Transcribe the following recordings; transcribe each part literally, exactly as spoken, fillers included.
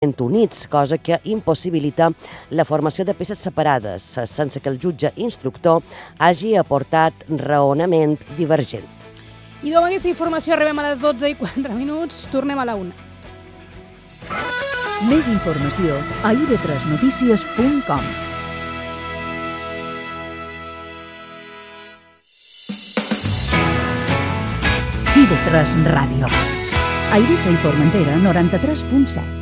units, cosa que impossibilita la formació de peces separades, sense que el jutge instructor hagi aportat raonament divergent. I amb aquesta informació arribem a les dotze i quatre minuts, tornem a la una. Més informació a i ve tres notícies punt com. i ve tres Ràdio. A Eivissa i Formentera, noranta-tres punt set.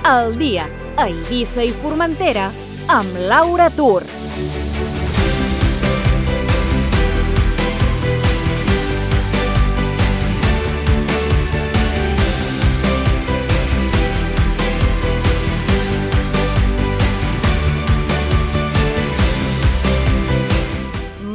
El dia a Eivissa i Formentera amb Laura Tur.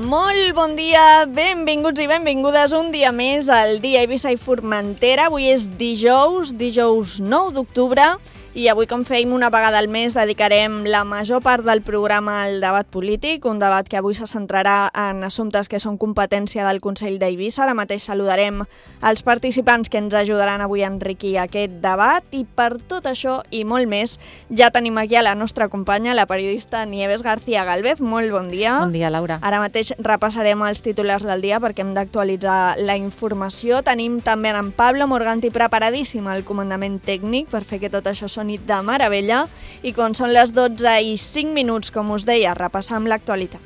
Molt bon dia, benvinguts i benvingudes un dia més al dia Eivissa i Formentera. Avui és dijous, dijous nou d'octubre, i avui, com fèiem una vegada al mes, dedicarem la major part del programa al debat polític, un debat que avui se centrarà en assumptes que són competència del Consell d'Eivissa. Ara mateix saludarem els participants que ens ajudaran avui a enriquir aquest debat, i per tot això i molt més ja tenim aquí a la nostra companya, la periodista Nieves García Gálvez. Molt bon dia. Bon dia, Laura. Ara mateix repassarem els titulars del dia perquè hem d'actualitzar la informació. Tenim també en Pablo Morganti preparadíssim al comandament tècnic per fer que tot això soni de meravella, i quan són les dotze i cinc minuts, com us deia, repassam l'actualitat.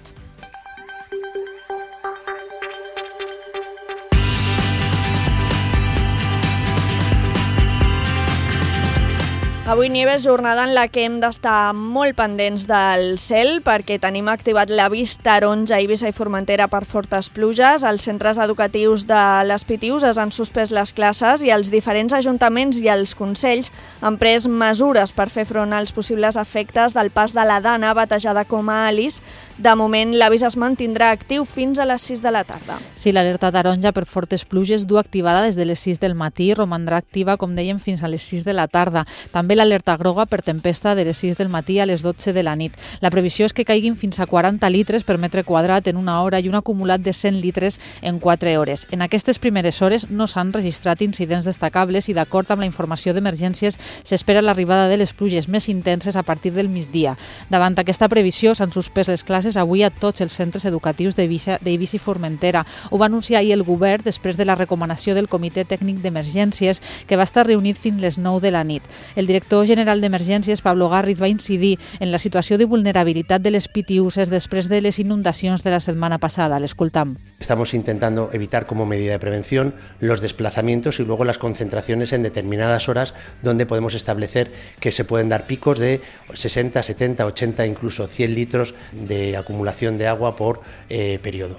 Avui, Nieves, jornada en la que hem d'estar molt pendents del cel perquè tenim activat l'avís taronja a Eivissa i Formentera per fortes pluges. Els centres educatius de les Pitius es han suspès les classes i els diferents ajuntaments i els consells han pres mesures per fer front als possibles efectes del pas de la Dana, batejada com a Alice. De moment, l'avís es mantindrà actiu fins a les sis de la tarda. Sí, l'alerta taronja per fortes pluges du activada des de les sis del matí i romandrà activa, com dèiem, fins a les sis de la tarda. També l'alerta groga per tempesta de les sis del matí a les dotze de la nit. La previsió és que caiguin fins a quaranta litres per metre quadrat en una hora i un acumulat de cent litres en quatre hores. En aquestes primeres hores no s'han registrat incidents destacables i, d'acord amb la informació d'emergències, s'espera l'arribada de les pluges més intenses a partir del migdia. Davant aquesta previsió s'han suspès les classes avui a tots els centres educatius d'Eivissa i Formentera. Ho va anunciar ahir el govern després de la recomanació del Comitè Tècnic d'Emergències, que va estar reunit fins les nou de la nit. El director general d'Emergències, Pablo Garriz, va incidir en la situació de vulnerabilitat de les Pitiuses després de les inundacions de la setmana passada. L'escoltam. Estamos intentando evitar como medida de prevención los desplazamientos y luego las concentraciones en determinadas horas donde podemos establecer que se pueden dar picos de sesenta, setenta, ochenta, incluso cien litros de acumulación de agua por eh, periodo.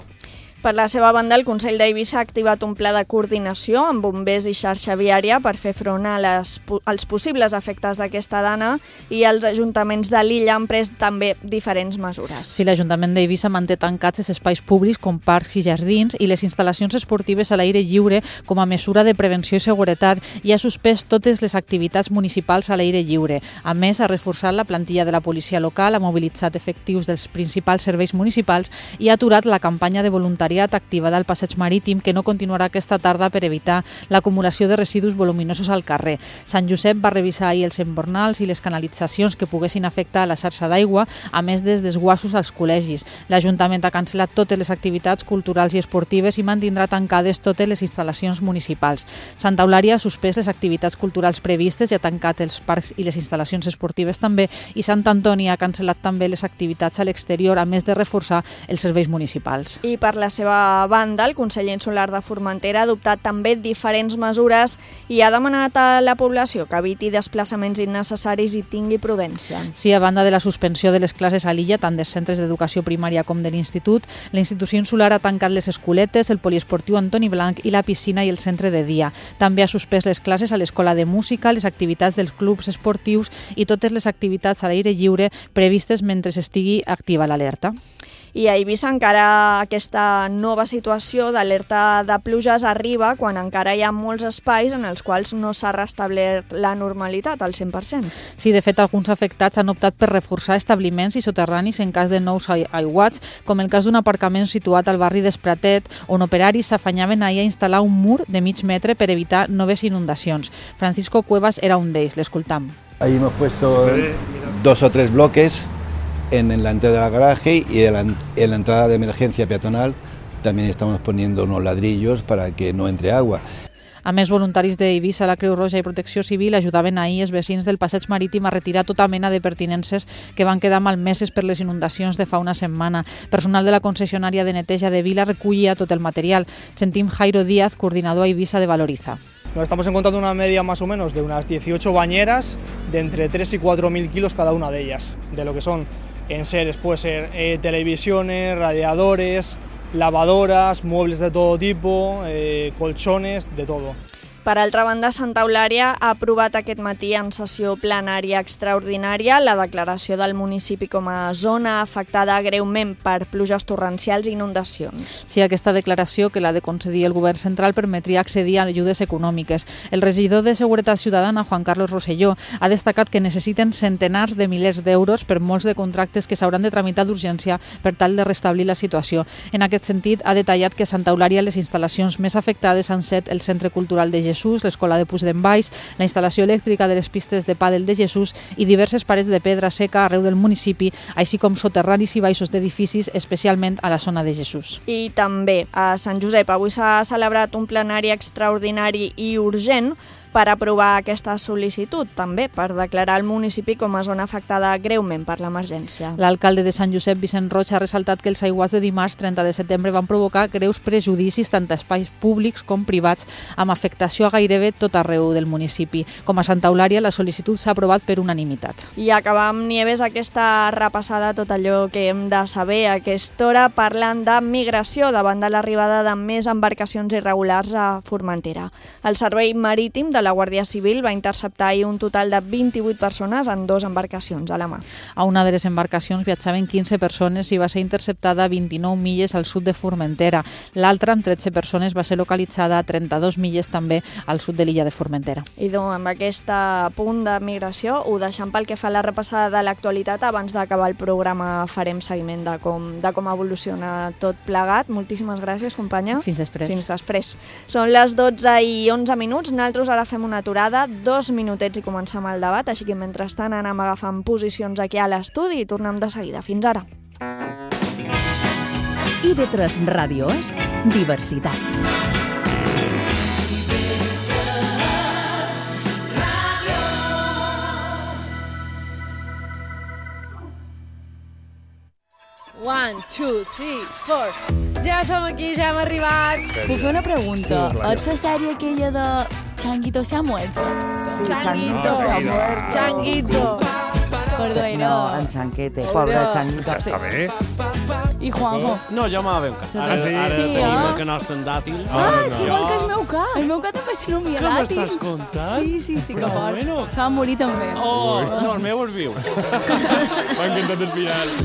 Per la seva banda, el Consell d'Eivissa ha activat un pla de coordinació amb bombers i xarxa viària per fer front a les, als possibles efectes d'aquesta dana, i els ajuntaments de l'illa han pres també diferents mesures. Sí, l'Ajuntament d'Eivissa manté tancats els espais públics com parcs i jardins i les instal·lacions esportives a l'aire lliure com a mesura de prevenció i seguretat, i ha suspès totes les activitats municipals a l'aire lliure. A més, ha reforçat la plantilla de la policia local, ha mobilitzat efectius dels principals serveis municipals i ha aturat la campanya de voluntariat activada al passeig marítim, que no continuarà aquesta tarda per evitar l'acumulació de residus voluminosos al carrer. Sant Josep va revisar ahir els embornals i les canalitzacions que poguessin afectar la xarxa d'aigua, a més dels desguassos als col·legis. L'Ajuntament ha cancel·lat totes les activitats culturals i esportives i mantindrà tancades totes les instal·lacions municipals. Santa Eulària ha suspès les activitats culturals previstes i ha tancat els parcs i les instal·lacions esportives també, i Sant Antoni ha cancel·lat també les activitats a l'exterior, a més de reforçar els serveis municipals. I per la seva banda, el Consell Insular de Formentera ha adoptat també diferents mesures i ha demanat a la població que eviti desplaçaments innecessaris i tingui prudència. Sí, a banda de la suspensió de les classes a l'illa, tant dels centres d'educació primària com de l'institut, la institució insular ha tancat les escoletes, el poliesportiu Antoni Blanc i la piscina i el centre de dia. També ha suspès les classes a l'escola de música, les activitats dels clubs esportius i totes les activitats a l'aire lliure previstes mentre estigui activa l'alerta. I a Eivissa encara aquesta nova situació d'alerta de pluges arriba quan encara hi ha molts espais en els quals no s'ha restablert la normalitat al cent per cent. Sí, de fet, alguns afectats han optat per reforçar establiments i soterranis en cas de nous aiguats, com el cas d'un aparcament situat al barri d'Espratet, on operaris s'afanyaven ahir a instal·lar un mur de mig metre per evitar noves inundacions. Francisco Cuevas era un d'ells, l'escoltam. Ahí hemos puesto dos o tres bloques en, en la entrada del garaje y en la, en la entrada de emergencia peatonal también estamos poniendo unos ladrillos para que no entre agua. A més, voluntaris d'Eivissa, la Creu Roja i Protecció Civil ajudaven ahir els vecins del passeig marítim a retirar tota mena de pertinences que van quedar malmeses per les inundacions de fa una setmana. Personal de la concessionària de neteja de Vila recollia tot el material. Sentim Jairo Díaz, coordinador a Eivissa de Valoriza. Nos estamos encontrando una media más o menos de unas dieciocho bañeras de entre tres y cuatro mil kilos cada una de ellas, de lo que son enseres, puede ser eh, televisiones, radiadores, lavadoras, muebles de todo tipo, eh, colchones, de todo. Per altra banda, Santa Eulària ha aprovat aquest matí en sessió plenària extraordinària la declaració del municipi com a zona afectada greument per pluges torrencials i inundacions. Sí, aquesta declaració, que l'ha de concedir el govern central, permetria accedir a ajudes econòmiques. El regidor de Seguretat Ciutadana, Juan Carlos Rosselló, ha destacat que necessiten centenars de milers d'euros per molts de contractes que s'hauran de tramitar d'urgència per tal de restablir la situació. En aquest sentit, ha detallat que a Santa Eulària les instal·lacions més afectades han set el Centre Cultural de Jesús, l'Escola de Puig d'en Valls, la instal·lació elèctrica de les pistes de pàdel de Jesús i diverses parets de pedra seca arreu del municipi, així com soterranis i baixos d'edificis, especialment a la zona de Jesús. I també a Sant Josep avui s'ha celebrat un plenari extraordinari i urgent per aprovar aquesta sol·licitud, també per declarar el municipi com a zona afectada greument per l'emergència. L'alcalde de Sant Josep, Vicent Roig, ha ressaltat que els aiguats de dimarts trenta de setembre van provocar greus prejudicis tant a espais públics com privats, amb afectació a gairebé tot arreu del municipi. Com a Santa Eulària, la sol·licitud s'ha aprovat per unanimitat. I acabar amb Nieves aquesta repassada tot allò que hem de saber a aquesta hora, parlant de migració davant de l'arribada de més embarcacions irregulars a Formentera. El servei marítim de la Guàrdia Civil va interceptar ahir un total de vint-i-vuit persones en dues embarcacions a la mà. A una de les embarcacions viatjaven quinze persones i va ser interceptada a vint-i-nou milles al sud de Formentera. L'altra, amb tretze persones, va ser localitzada a trenta-dos milles també al sud de l'illa de Formentera. I doncs, amb aquest punt de migració ho deixem pel que fa a la repassada de l'actualitat. Abans d'acabar el programa farem seguiment de com, de com evoluciona tot plegat. Moltíssimes gràcies, companya. Fins després. Fins després. Són les dotze i onze minuts. Nosaltres ara fem una aturada, dos minutets i comencem el debat, així que mentrestant anem agafant posicions aquí a l'estudi i tornem de seguida. Fins ara. I de tres Ràdio és diversitat. One, two, three, four. Ja som aquí, ja hem arribat. Puc fer una pregunta? Sí, és la sèrie aquella de Changuito se ha muerto? Sí, Changuito se ha muerto. Changuito. Perdó, era... No, en Chanquete, pobre Changuito. Està bé. I Juanjo? No, jo m'havia un Ara sí, ara sí, tenim eh? el que nostre en dàtil. Ah, igual que el meu cap. El meu cap també se nomia Què dàtil. m'estàs contant? Sí, sí, sí, que Però fort. bueno. Se va morir també. Oh, no, el meu és viu. M'ha encantat el final.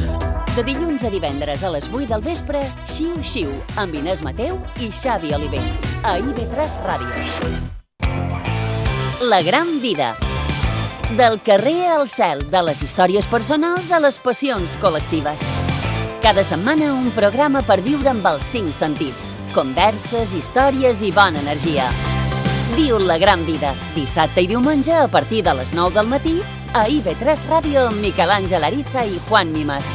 De dilluns a divendres a les vuit del vespre, Xiu Xiu, amb Inés Mateu i Xavi Olivell, a I V tres Ràdio. La gran vida. Del carrer al cel, de les històries personals a les passions col·lectives. Cada setmana un programa per viure amb els cinc sentits. Converses, històries i bona energia. Viu la gran vida, dissabte i diumenge a partir de les nou del matí a I V tres Ràdio amb Miquel Àngel Ariza i Juan Mimas.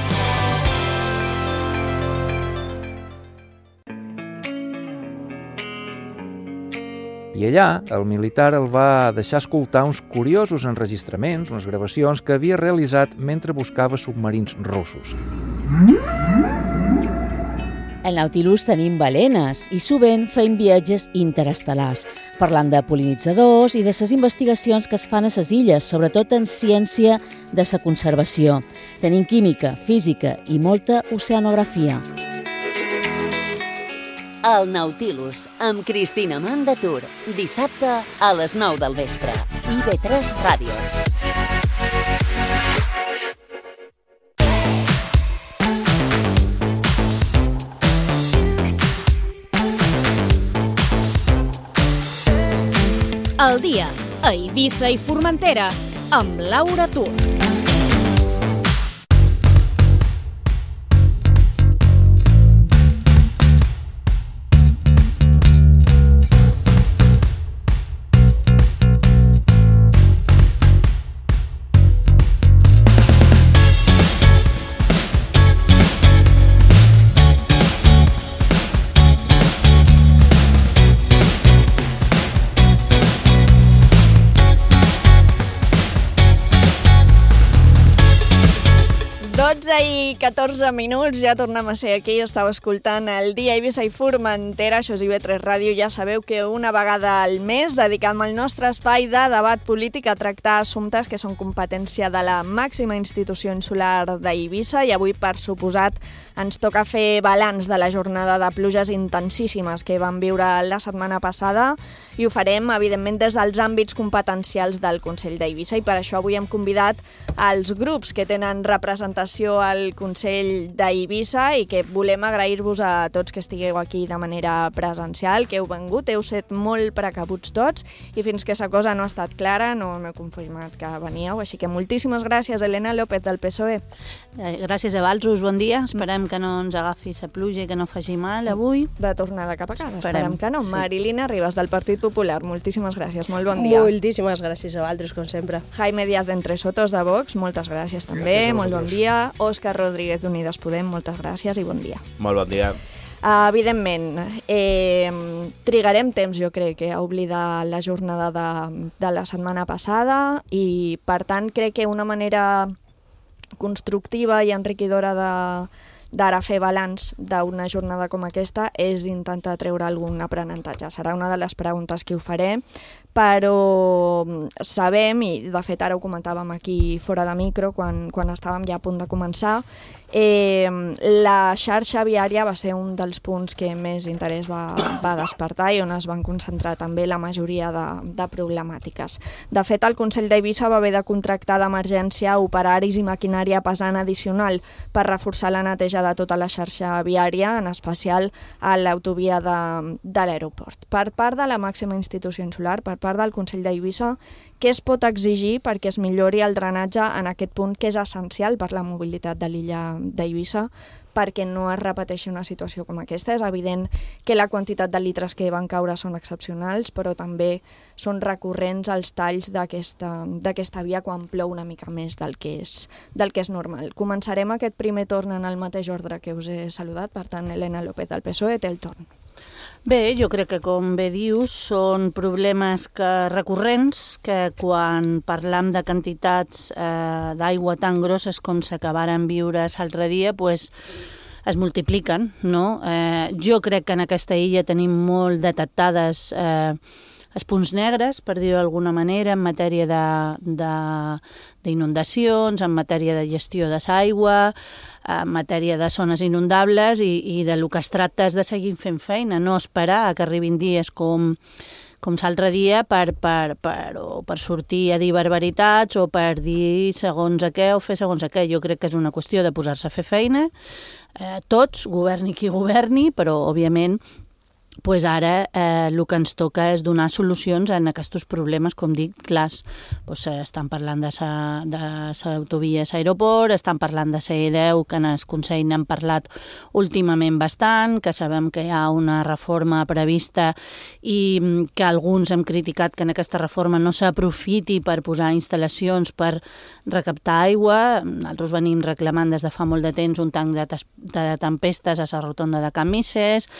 I allà, el militar el va deixar escoltar uns curiosos enregistraments, unes gravacions que havia realitzat mentre buscava submarins russos. Al Nautilus tenim balenes i sovint fem viatges interestel·lars, parlant de pol·linitzadors i de les investigacions que es fan a les illes, sobretot en ciència de la conservació. Tenim química, física i molta oceanografia. El Nautilus, amb Cristina Mandatur, dissabte a les nou del vespre. I V tres Ràdio. al dia, a Eivissa i Formentera, amb Laura Tut. dotze i catorze minuts, ja tornem a ser aquí, estàu escoltant el Dia Eivissa i Formentera, això és I V tres Ràdio, ja sabeu que una vegada al mes dedicam el nostre espai de debat polític a tractar assumptes que són competència de la màxima institució insular d'Eivissa i avui, per suposat, ens toca fer balanç de la jornada de pluges intensíssimes que vam viure la setmana passada i ho farem, evidentment, des dels àmbits competencials del Consell d'Eivissa i per això avui hem convidat els grups que tenen representació al Consell d'Eivissa i que volem agrair-vos a tots que estigueu aquí de manera presencial, que heu vengut, heu set molt precabuts tots i fins que aquesta cosa no ha estat clara no m'he confirmat que veníeu, així que moltíssimes gràcies, Elena López del P S O E. Gràcies a vosaltres, bon dia, esperem que no ens agafi la pluja i que no faci mal avui. De tornada cap a casa, esperem, esperem que no. Sí. Marilina Ribas del Partit Popular, moltíssimes gràcies, molt bon dia. Moltíssimes gràcies a vosaltres, com sempre. Jaime Díaz d'Entre Sotos de Vox, moltes gràcies també, gràcies molt bon dia. Òscar Rodríguez d'Unides Podem, moltes gràcies i bon dia. Molt bon dia. Uh, evidentment, eh, trigarem temps, jo crec, que a oblidar la jornada de, de la setmana passada i, per tant, crec que una manera constructiva i enriquidora de d'ara fer balanç d'una jornada com aquesta és intentar treure algun aprenentatge. Serà una de les preguntes que ho faré, però sabem, i de fet ara ho comentàvem aquí fora de micro, quan, quan estàvem ja a punt de començar, eh, la xarxa viària va ser un dels punts que més interès va, va despertar i on es van concentrar també la majoria de, de problemàtiques. De fet, el Consell d'Eivissa va haver de contractar d'emergència operaris i maquinària pesant addicional per reforçar la neteja de tota la xarxa viària, en especial a l'autovia de, de l'aeroport. Per part de la màxima institució insular, per part del Consell d'Eivissa, què es pot exigir perquè es millori el drenatge en aquest punt que és essencial per la mobilitat de l'illa d'Eivissa perquè no es repeteixi una situació com aquesta? És evident que la quantitat de litres que van caure són excepcionals, però també són recurrents els talls d'aquesta via quan plou una mica més del que, és, del que és normal. Començarem aquest primer torn en el mateix ordre que us he saludat, per tant, Elena López del P S O E té el torn. Bé, jo crec que, com bé dius, són problemes que recurrents que quan parlam de quantitats eh, d'aigua tan grosses com s'acabaren viure l'altre dia, pues, es multipliquen, no? Eh, jo crec que en aquesta illa tenim molt detectades eh, els punts negres, per dir-ho d'alguna manera, en matèria d'inundacions, en matèria de gestió de l'aigua, en matèria de zones inundables i, i de lo que es tracta és de seguir fent feina, no esperar que arribin dies com, com l'altre dia per, per, per, o per sortir a dir barbaritats o per dir segons a què o fer segons a què. Jo crec que és una qüestió de posar-se a fer feina, eh, tots, governi qui governi, però, òbviament, pues ara eh, el que ens toca és donar solucions a aquests problemes, com dic, clars. Pues, eh, estan parlant de l'autovia a l'aeroport, estan parlant de la E deu, que en el Consell n'hem parlat últimament bastant, que sabem que hi ha una reforma prevista i que alguns hem criticat que en aquesta reforma no s'aprofiti per posar instal·lacions per recaptar aigua. Nosaltres venim reclamant des de fa molt de temps un tanc de, de tempestes a la rotonda de Can Misses,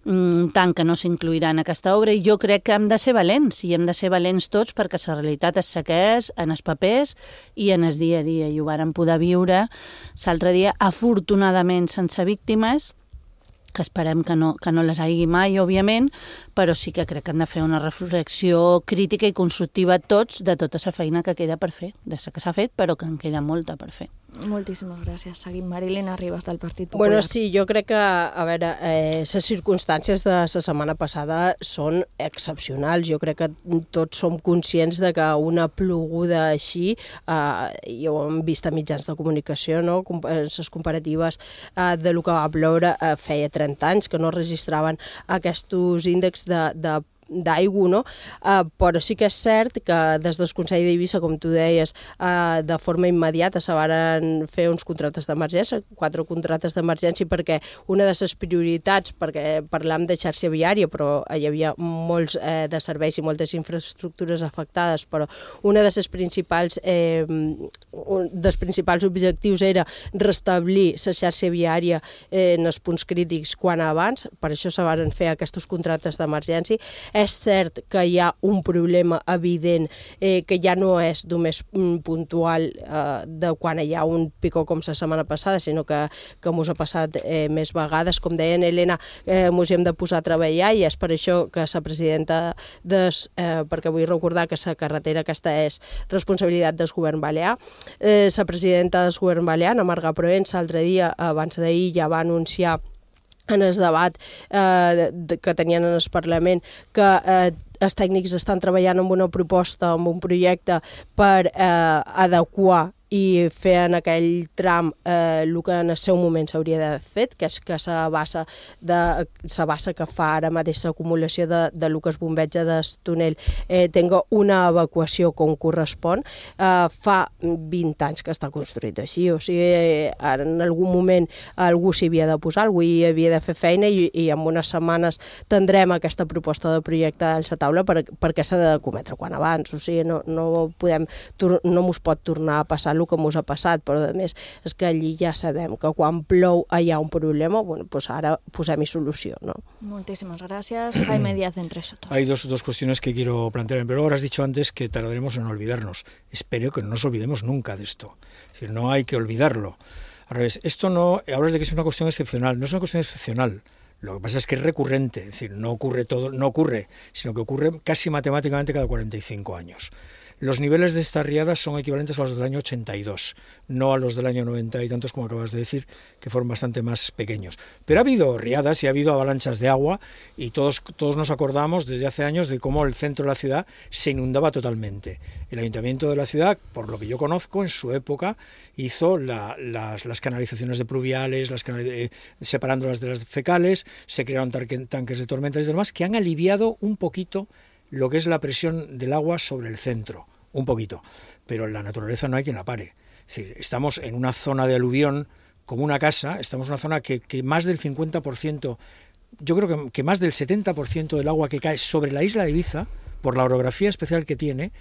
un tant que no s'incluirà en aquesta obra, i jo crec que hem de ser valents, i hem de ser valents tots perquè la realitat es segueix en els papers i en el dia a dia, i ho vàrem poder viure l'altre dia, afortunadament sense víctimes, que esperem que no, que no les hagi mai, òbviament, però sí que crec que hem de fer una reflexió crítica i constructiva tots de tota la feina que queda per fer, de la que s'ha fet, però que en queda molta per fer. Moltíssimes gràcies. Seguim. Marilina Ribas, del Partit Popular. Bueno, sí, jo crec que, a veure, eh, les circumstàncies de la setmana passada són excepcionals. Jo crec que tots som conscients de que una ploguda així, eh, ja ho hem vist a mitjans de comunicació, no? Les comparatives eh, de lo que va ploure eh, feia trenta anys, que no registraven aquests índexs de, de d'aigua, no? Uh, però sí que és cert que des del Consell d'Eivissa, com tu deies, uh, de forma immediata se van fer uns contractes d'emergència, quatre contractes d'emergència, perquè una de les prioritats, perquè parlam de xarxa viària, però hi havia molts eh, de serveis i moltes infraestructures afectades, però una de les principals, eh, un dels principals objectius era restablir la xarxa viària eh, en els punts crítics quan abans, per això se van fer aquests contractes d'emergència. És cert que hi ha un problema evident eh, que ja no és només mm, puntual eh, de quan hi ha un picó com la setmana passada, sinó que, que mos ha passat eh, més vegades. Com deia Helena, eh, mos hem de posar a treballar i és per això que la presidenta des, eh, perquè vull recordar que la carretera aquesta és responsabilitat del govern balear. Eh, la presidenta del govern balear, Ana Marga Proens, l'altre dia, abans d'ahir, ja va anunciar en el debat eh, que tenien en el Parlament que eh, els tècnics estan treballant en una proposta, en un projecte per eh, adequar i fer en aquell tram eh, el que en el seu moment s'hauria d'haver fet, que és que la bassa, de, la bassa que fa ara mateix l'acumulació de, de lo que es bombeja del túnel eh, tenga una evacuació com correspon. Eh, fa vint anys que està construït així, o sigui, ara en algun moment algú s'hi havia de posar, algú hi havia de fer feina i, i en unes setmanes tindrem aquesta proposta de projecte a la taula per, perquè s'ha de cometre quan abans, o sigui, no, no podem, no mos pot tornar a passar el que mos ha passat, però a més és que allí ja sabem que quan plou hi ha un problema, bueno, pues ara posem-hi solució, ¿no? Muchísimas gracias. Jaime Díaz, entre nosotros. Hay dos, dos cuestiones que quiero plantear. Pero ahora has dicho antes que tardaremos en olvidarnos. Espero que no nos olvidemos nunca de esto. Es decir, no hay que olvidarlo. Al revés, esto no, hablas de que es una cuestión excepcional. No es una cuestión excepcional. Lo que pasa es que es recurrente, es decir, no ocurre todo, no ocurre, sino que ocurre casi matemáticamente cada cuarenta y cinco años. Los niveles de estas riadas son equivalentes a los del año ochenta y dos, no a los del año noventa y tantos, como acabas de decir, que fueron bastante más pequeños. Pero ha habido riadas y ha habido avalanchas de agua y todos, todos nos acordamos desde hace años de cómo el centro de la ciudad se inundaba totalmente. El ayuntamiento de la ciudad, por lo que yo conozco, en su época hizo la, las, las canalizaciones de pluviales, las canal, eh, separándolas de las fecales, se crearon tanques de tormentas y demás que han aliviado un poquito lo que es la presión del agua sobre el centro, un poquito, pero en la naturaleza no hay quien la pare. Es decir, estamos en una zona de aluvión como una casa, estamos en una zona que, que más del cincuenta por ciento, yo creo que, que más del setenta por ciento del agua que cae sobre la isla de Ibiza, por la orografía especial que tiene,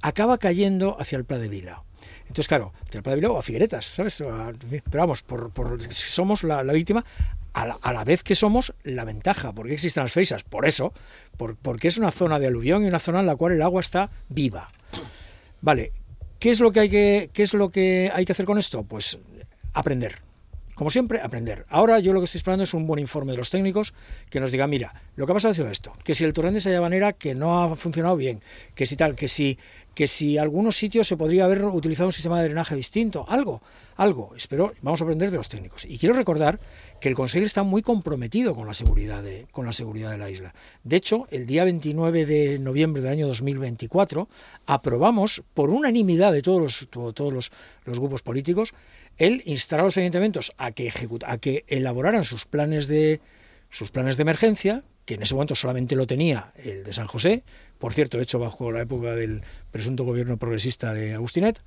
acaba cayendo hacia el Pla de Vila. Entonces, claro, hacia el Pla de Vila o a Figueretas, ¿sabes? Pero vamos, por, por, somos la, la víctima, a la, a la vez que somos la ventaja. ¿Por qué existen las feisas? Por eso, por, porque es una zona de aluvión y una zona en la cual el agua está viva. Vale, ¿qué es lo que hay que, qué es lo que, hay que hacer con esto? Pues aprender. Como siempre, aprender. Ahora yo lo que estoy esperando es un buen informe de los técnicos que nos diga, mira, lo que ha pasado ha sido esto, que si el torrente de Sayavanera que no ha funcionado bien, que si tal, que si, que si algunos sitios se podría haber utilizado un sistema de drenaje distinto, algo, algo. Espero, vamos a aprender de los técnicos. Y quiero recordar que el Consell está muy comprometido con la seguridad de, con la seguridad de la isla. De hecho, el día veintinueve de noviembre del año dos mil veinticuatro aprobamos por unanimidad de todos los, todos los, los grupos políticos el instar a los ayuntamientos a que ejecuta, a que elaboraran sus planes de sus planes de emergencia, que en ese momento solamente lo tenía el de San José, por cierto, hecho bajo la época del presunto gobierno progresista de Agustinet,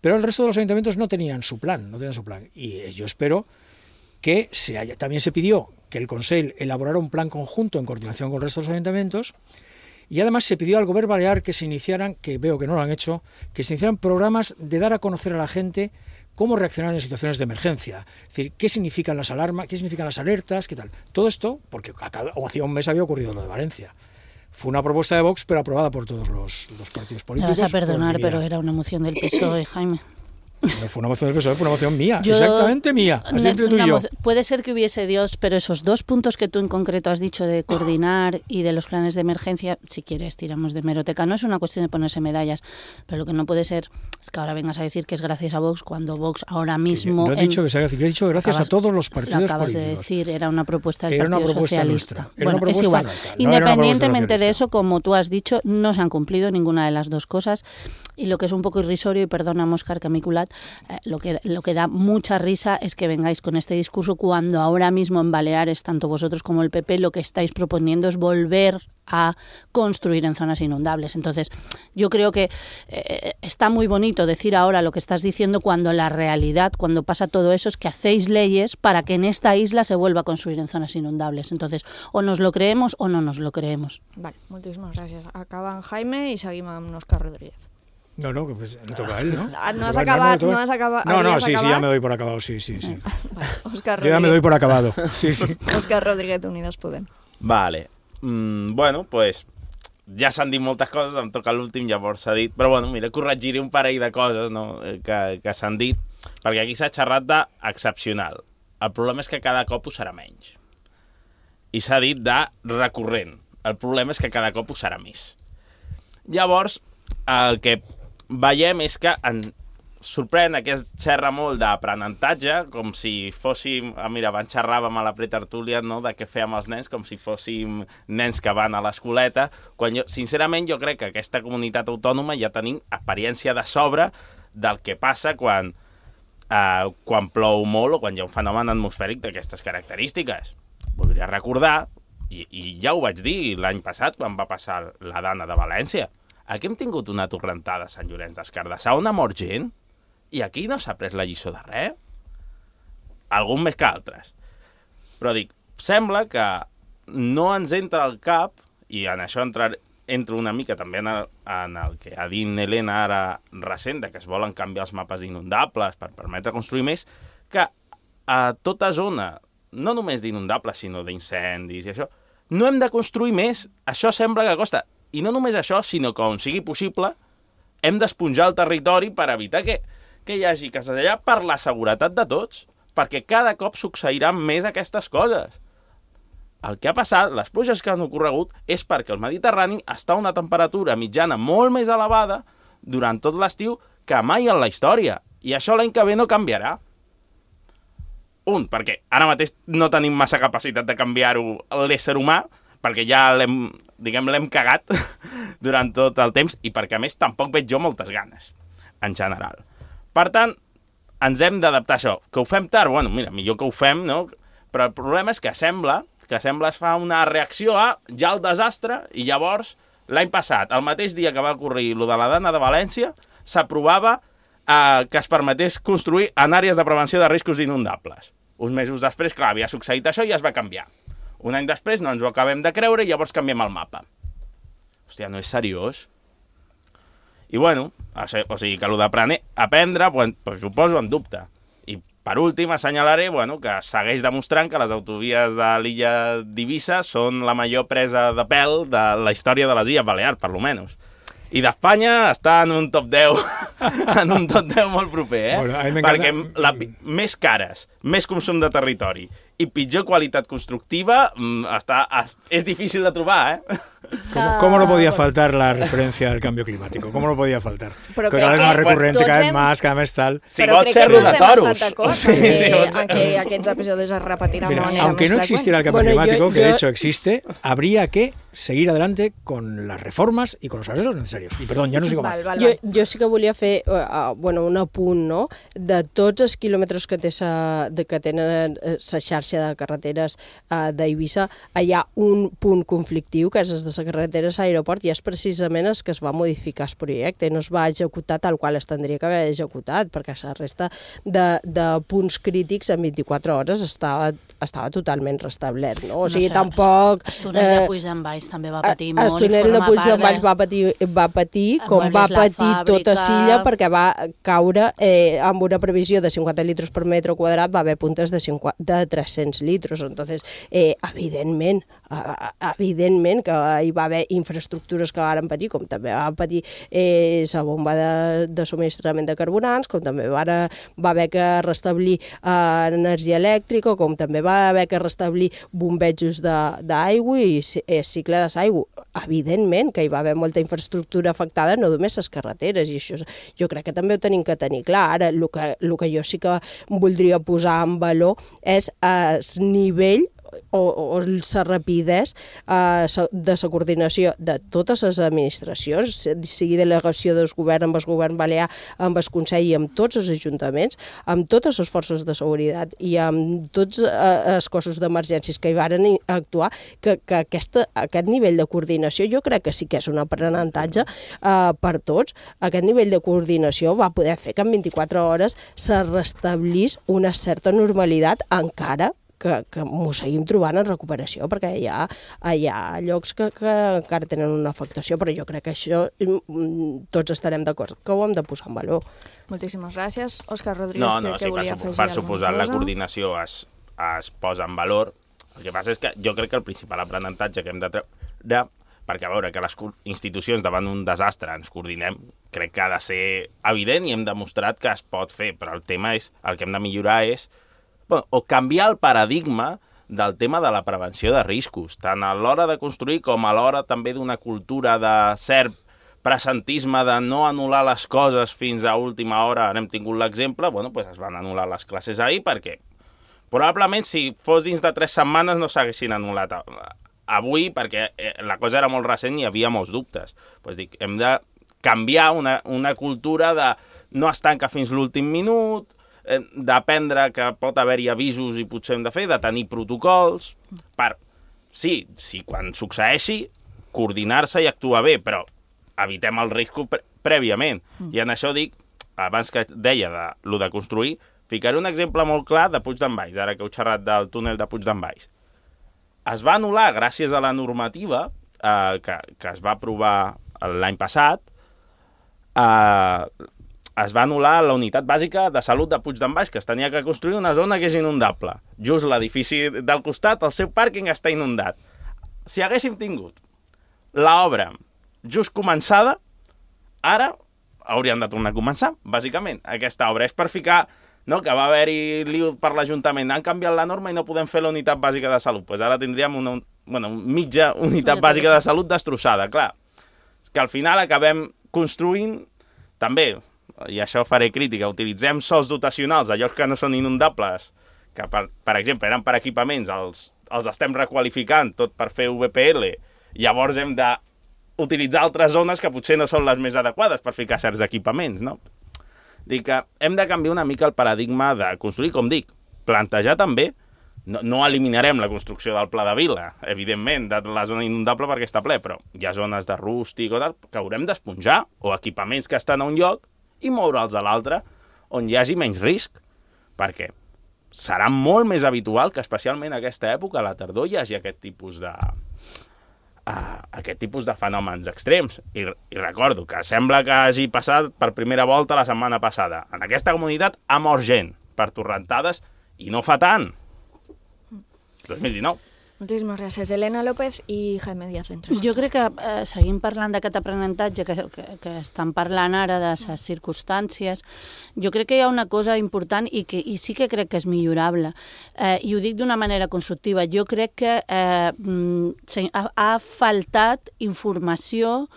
pero el resto de los ayuntamientos no tenían su plan, no tenían su plan. Y yo espero que se haya, también se pidió que el Consell elaborara un plan conjunto en coordinación con el resto de los ayuntamientos, y además se pidió al Govern Balear que se iniciaran, que veo que no lo han hecho, que se iniciaran programas de dar a conocer a la gente cómo reaccionar en situaciones de emergencia, es decir, qué significan las alarmas, qué significan las alertas, qué tal. Todo esto, porque hacía un mes había ocurrido lo de Valencia. Fue una propuesta de Vox, pero aprobada por todos los, los partidos políticos. Me vas a perdonar, pero era una moción del P S O E, Jaime. No fue una moción del P S O E, fue una moción mía, yo, exactamente mía, así entre tú y yo. Puede ser que hubiese Dios, pero esos dos puntos que tú en concreto has dicho de coordinar y de los planes de emergencia, si quieres tiramos de hemeroteca, no es una cuestión de ponerse medallas, pero lo que no puede ser es que ahora vengas a decir que es gracias a Vox cuando Vox ahora mismo... No he dicho en, que sea gracias, he dicho gracias acabas, a todos los partidos lo acabas políticos. de decir, era una propuesta del era Partido una propuesta Socialista. Nuestra. Era bueno, una es igual. Nuestra. No Independientemente de eso, como tú has dicho, no se han cumplido ninguna de las dos cosas. Y lo que es un poco irrisorio, y perdóname, Óscar, que me he culat, eh, lo, que, lo que da mucha risa es que vengáis con este discurso cuando ahora mismo en Baleares, tanto vosotros como el P P, lo que estáis proponiendo es volver a construir en zonas inundables. Entonces, yo creo que eh, está muy bonito decir ahora lo que estás diciendo cuando la realidad, cuando pasa todo eso, es que hacéis leyes para que en esta isla se vuelva a construir en zonas inundables. Entonces, o nos lo creemos o no nos lo creemos. Vale, moltíssimes gràcies. Acaba en Jaime i seguim amb Óscar Rodríguez. No, no, que pues le toca a él, ¿no? No has acabat, no has acabat. No, no, sí, sí, ya me doy por acabado, sí, sí, sí. Vale, Óscar Yo ya me doy por acabado, sí, sí. Óscar Rodríguez, Unides Podem. Vale. Mm, bueno, pues ja s'han dit moltes coses, em toca l'últim, llavors s'ha dit, però bueno, mira, corregiré un parell de coses, no?, que, que s'han dit, perquè aquí s'ha xerrat d'excepcional. El problema és que cada cop ho serà menys. I s'ha dit de recurrent. El problema és que cada cop ho serà més. Llavors, el que veiem és que en sorprèn que es xerra molt d'aprenentatge, com si fóssim... Ah, mira, abans xerràvem a la pretertúlia, no?, de què fèiem els nens, com si fóssim nens que van a l'escoleta, quan jo, sincerament, jo crec que aquesta comunitat autònoma ja tenim experiència de sobre del que passa quan, eh, quan plou molt o quan hi ha un fenomen atmosfèric d'aquestes característiques. Voldria recordar, i, i ja ho vaig dir l'any passat, quan va passar la Dana de València, aquí hem tingut una torrentada a Sant Llorenç des Cardassar on ha mort gent i aquí no s'ha pres la lliçó de res. Algun més que altres. Però dic, sembla que no ens entra al cap, i en això entrar, entro una mica també en el, en el que ha dit Helena ara recent, que es volen canviar els mapes d'inundables per permetre construir més, que a tota zona, no només d'inundables, sinó d'incendis i això, no hem de construir més. Això sembla que costa. I no només això, sinó que on sigui possible hem d'esponjar el territori per evitar que, que hi hagi cases allà per la seguretat de tots, perquè cada cop succeiran més aquestes coses. El que ha passat, les pluges que han ocorregut, és perquè el Mediterrani està a una temperatura mitjana molt més elevada durant tot l'estiu que mai en la història. I això l'any que ve no canviarà. Un, perquè ara mateix no tenim massa capacitat de canviar-ho l'ésser humà, perquè ja l'hem, diguem, l'hem cagat durant tot el temps i perquè, a més, tampoc veig jo moltes ganes, en general. Per tant, ens hem d'adaptar a això. Que ho fem tard? Bueno, mira, millor que ho fem, no? Però el problema és que sembla que sembla es fa una reacció a ja el desastre i llavors, l'any passat, el mateix dia que va ocorrir lo de la Dana de València, s'aprovava eh, que es permetés construir en àrees de prevenció de riscos inundables. Uns mesos després, clar, havia succeït això i es va canviar. Un any després no ens ho acabem de creure i llavors canviem el mapa. Hòstia, no és seriós? I bueno, o sigui que el d'aprendre, pues, pues ho poso en dubte. I per últim assenyalaré, bueno, que segueix demostrant que les autovies de l'illa d'Eivissa són la major presa de pèl de la història de les Illes Balears, per lo menos. I d'Espanya està en un top deu, en un top deu molt proper, eh? Bueno, perquè la, més cares, més consum de territori i pitjor qualitat constructiva està, és difícil de trobar, ¿eh? ¿Cómo, ¿Cómo no podía faltar la referencia al cambio climático? ¿Cómo no podía faltar? Pero que cada vez más recurrente, cada vez hem... más, cada vez tal. Si vols ser de toros. Sí, sí, sí, en que aquests episodios es repetirán de manera aunque no existiera el cambio bueno, climático, yo, que yo... de hecho existe, habría que seguir adelante con las reformas y con los arreglos necesarios. I perdó, ja no sigo val, més. Val, val. Jo, jo sí que volia fer uh, bueno, un apunt, no?, de tots els quilòmetres que, té sa, de, que tenen sa xarxa de carreteres uh, d'Eivissa, hi ha un punt conflictiu, que és des de la carretera a l'aeroport, i és precisament el que es va modificar el projecte, no es va executar tal qual es tindria que haver executat, perquè la resta de, de punts crítics en vint-i-quatre hores estava, estava totalment restablert, no? O sigui, no sé, tampoc... El túnel de Puigdemvalls també va patir eh, molt. El túnel de Puigdemvalls va patir, va patir com va patir tota Silla, perquè va caure eh, amb una previsió de cinquanta litres per metre quadrat, va haver puntes de, cinquanta, de tres-cents litres. Entonces, eh, evidentment, eh, evidentment que hi va haver infraestructures que van patir, com també va patir eh, la bomba de, de subministrament de carburants, com també va, va haver que restablir eh, energia elèctrica, com també va haver que restablir bombejos d'aigua i eh, cicle de l'aigua. Evidentment que hi va haver molta infraestructura afectada, no només les carreteres, i això jo crec que també ho tenim que tenir clar. Ara, el que, el que jo sí que voldria posar en valor és el nivell o, o la rapidesa eh, de la coordinació de totes les administracions, sigui delegació del govern amb el govern balear, amb el Consell i amb tots els ajuntaments, amb totes les forces de seguretat i amb tots eh, els cossos d'emergències que hi varen actuar, que, que aquesta, aquest nivell de coordinació jo crec que sí que és un aprenentatge eh, per tots. Aquest nivell de coordinació va poder fer que en vint-i-quatre hores se restablís una certa normalitat, encara que, que m'ho seguim trobant en recuperació, perquè hi ha, hi ha llocs que, que encara tenen una afectació, però jo crec que això tots estarem d'acord que ho hem de posar en valor. Moltíssimes gràcies. Òscar Rodríguez, no, no, crec que sí, volia per, afegir per alguna suposar cosa. La coordinació es, es posa en valor. El que passa és que jo crec que el principal aprenentatge que hem de treure, perquè a veure que les institucions davant un desastre ens coordinem, crec que ha de ser evident i hem demostrat que es pot fer, però el tema és, el que hem de millorar és bueno, o canviar el paradigma del tema de la prevenció de riscos, tant a l'hora de construir com a l'hora també d'una cultura de cert presentisme de no anul·lar les coses fins a última hora. Hem tingut l'exemple, bueno, pues es van anul·lar les classes ahir perquè probablement si fos dins de tres setmanes no s'haguessin anul·lat avui perquè la cosa era molt recent i hi havia molts dubtes. Pues dic, hem de canviar una, una cultura de no es tanca fins l'últim minut, d'aprendre que pot haver-hi avisos i potser hem de fer, de tenir protocols, per, sí, sí, quan succeeixi, coordinar-se i actuar bé, però evitem el risc pre prèviament. Mm. I en això dic, abans que deia de lo de construir, ficaré un exemple molt clar de Puig d'en Valls, ara que heu xerrat del túnel de Puig d'en Valls. Es va anul·lar, gràcies a la normativa eh, que, que es va aprovar l'any passat, eh, es va anul·lar la unitat bàsica de salut de Puig d'en Valls, que es tenia que construir una zona que és inundable. Just l'edifici del costat, el seu pàrquing està inundat. Si haguéssim tingut l'obra just començada, ara hauríem de tornar a començar, bàsicament. Aquesta obra és per ficar, no, que va haver-hi liu per l'Ajuntament, han canviat la norma i no podem fer la unitat bàsica de salut. Pues ara tindríem una bueno, mitja unitat bàsica de salut destrossada. Clar, és que al final acabem construint, també, i això faré crítica, utilitzem sols dotacionals a llocs que no són inundables, que per, per exemple eren per equipaments, els, els estem requalificant tot per fer V P L, llavors hem d'utilitzar altres zones que potser no són les més adequades per ficar certs equipaments, no? Dic que hem de canviar una mica el paradigma de construir, com dic, plantejar també, no, no eliminarem la construcció del Pla de Vila, evidentment, de la zona inundable perquè està ple, però hi ha zones de rústic o tal, que haurem d'esponjar, o equipaments que estan a un lloc, i moure'ls a l'altre, on hi hagi menys risc, perquè serà molt més habitual que especialment a aquesta època, a la tardor, hi hagi aquest tipus de, uh, aquest tipus de fenòmens extrems. I, I recordo que sembla que hagi passat per primera volta la setmana passada. En aquesta comunitat ha mort gent per torrentades i no fa tant. dos mil dinou. Moltíssimes gràcies. Elena López i Jaime Díaz. Jo crec que eh, seguim parlant d'aquest aprenentatge que, que, que estan parlant ara de les circumstàncies. Jo crec que hi ha una cosa important i, que, i sí que crec que és millorable. Eh, I ho dic d'una manera constructiva. Jo crec que eh, ha, ha faltat informació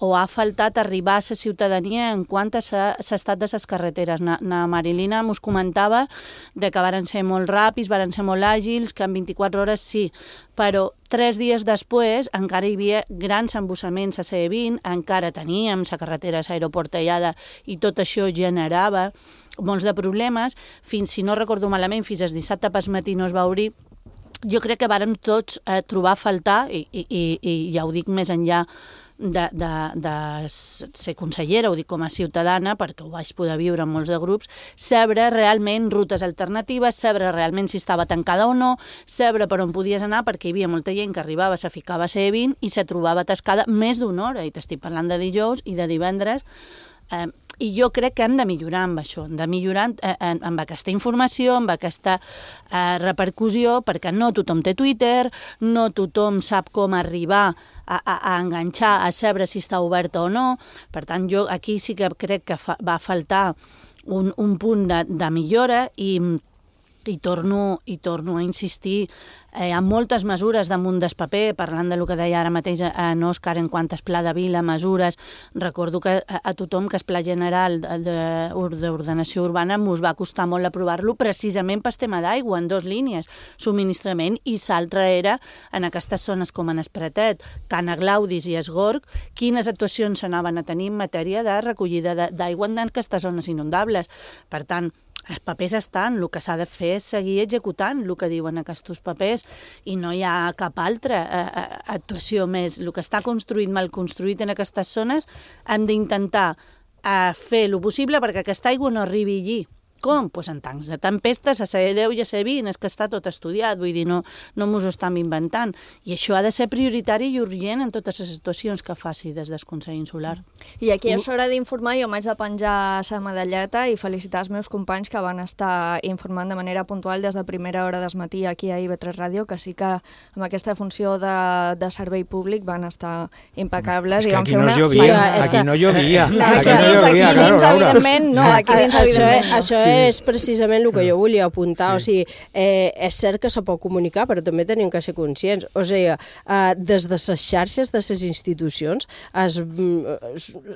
o ha faltat arribar a la ciutadania en quant a l'estat de les carreteres. Na, na Marilina mos comentava de que varen ser molt ràpids, varen ser molt àgils, que en vint-i-quatre hores sí, però tres dies després encara hi havia grans embossaments a C vint, encara teníem la carretera aeroportellada i tot això generava molts de problemes, fins, si no recordo malament, fins al dissabte pas matí no es va obrir. Jo crec que vàrem tots eh, trobar a faltar, i, i, i, i ja ho dic més enllà de, de, de ser consellera, ho dic com a ciutadana, perquè ho vaig poder viure en molts de grups, saber realment rutes alternatives, saber realment si estava tancada o no, saber per on podies anar, perquè hi havia molta gent que arribava, se ficava a C vint i se trobava atascada més d'una hora, i t'estic parlant de dijous i de divendres, eh, i jo crec que hem de millorar amb això, hem de millorar eh, amb aquesta informació, amb aquesta eh, repercussió, perquè no tothom té Twitter, no tothom sap com arribar a, a, a enganxar, a saber si està oberta o no. Per tant, jo aquí sí que crec que fa, va faltar un, un punt de, de millora i, I torno, i torno a insistir, eh, hi ha moltes mesures damunt del paper, parlant del que deia ara mateix en Òscar en quant es pla de vila, mesures. Recordo que a, a tothom que es pla general d'ordenació urbana mos va costar molt aprovar-lo precisament per tema d'aigua, en dos línies, subministrament, i l'altra era en aquestes zones com en Espretet, Cana Glaudis i Esgorg, quines actuacions s'anaven a tenir en matèria de recollida d'aigua en aquestes zones inundables. Per tant, els papers estan, el que s'ha de fer és seguir executant el que diuen aquests papers i no hi ha cap altra eh, actuació més. El que està construït, mal construït en aquestes zones, hem d'intentar eh, fer el possible perquè aquesta aigua no arribi allí. Com? Pues en tancs de tempestes, a ser deu i a ser vint, és que està tot estudiat, vull dir, no, no mos ho estem inventant. I això ha de ser prioritari i urgent en totes les situacions que faci des del Consell Insular. I aquí és hora d'informar, jo m'haig de penjar la medalleta i felicitar els meus companys que van estar informant de manera puntual des de primera hora del matí aquí a I B tres Ràdio, que sí que amb aquesta funció de, de servei públic van estar impecables. És que i van aquí fer no una... llovia, sí, aquí no llovia. No, aquí no no llovia, aquí claro, dins, Laura. evidentment, no, aquí dins, Això, evidentment. això Sí. és precisament el que jo volia apuntar. Sí. O sigui, eh, és cert que se pot comunicar, però també tenim que ser conscients. O sigui, eh, des de les xarxes de les institucions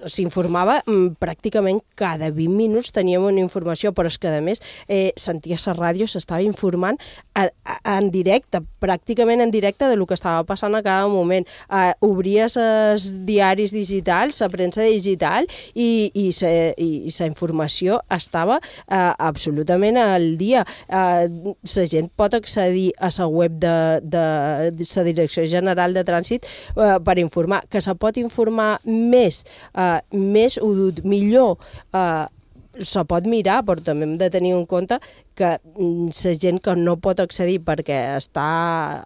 s'informava pràcticament cada vint minuts teníem una informació, però és que a més eh, sentia la ràdio, s'estava informant a, a, en directe, pràcticament en directe de lo que estava passant a cada moment. Eh, obries els diaris digitals, la premsa digital i, i, sa, i, i la informació estava eh, absolutament al dia. Eh, la gent pot accedir a la web de, de, de la Direcció General de Trànsit eh, per informar, que se pot informar més, eh, més ho dut, millor, eh, se pot mirar, però també hem de tenir en compte que la gent que no pot accedir perquè està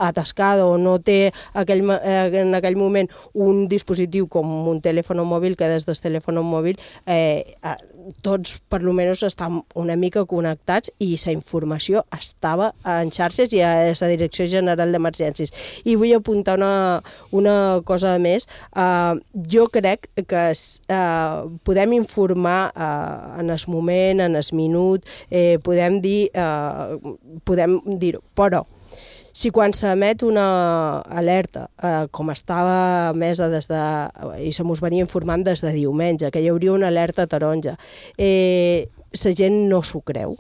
atascada o no té aquell, en aquell moment un dispositiu com un telèfon mòbil, que des del telèfon mòbil eh, tots per lo menys estan una mica connectats i la informació estava en xarxes i a la Direcció General d'Emergències. I vull apuntar una, una cosa més. Uh, jo crec que uh, podem informar uh, en el moment, en el minut, Eh, podem dir, eh, podem dir-ho, però si quan s'emet una alerta, eh, com estava emesa des de, i se mos venia informant des de diumenge, que hi hauria una alerta taronja, eh, la gent no s'ho creu,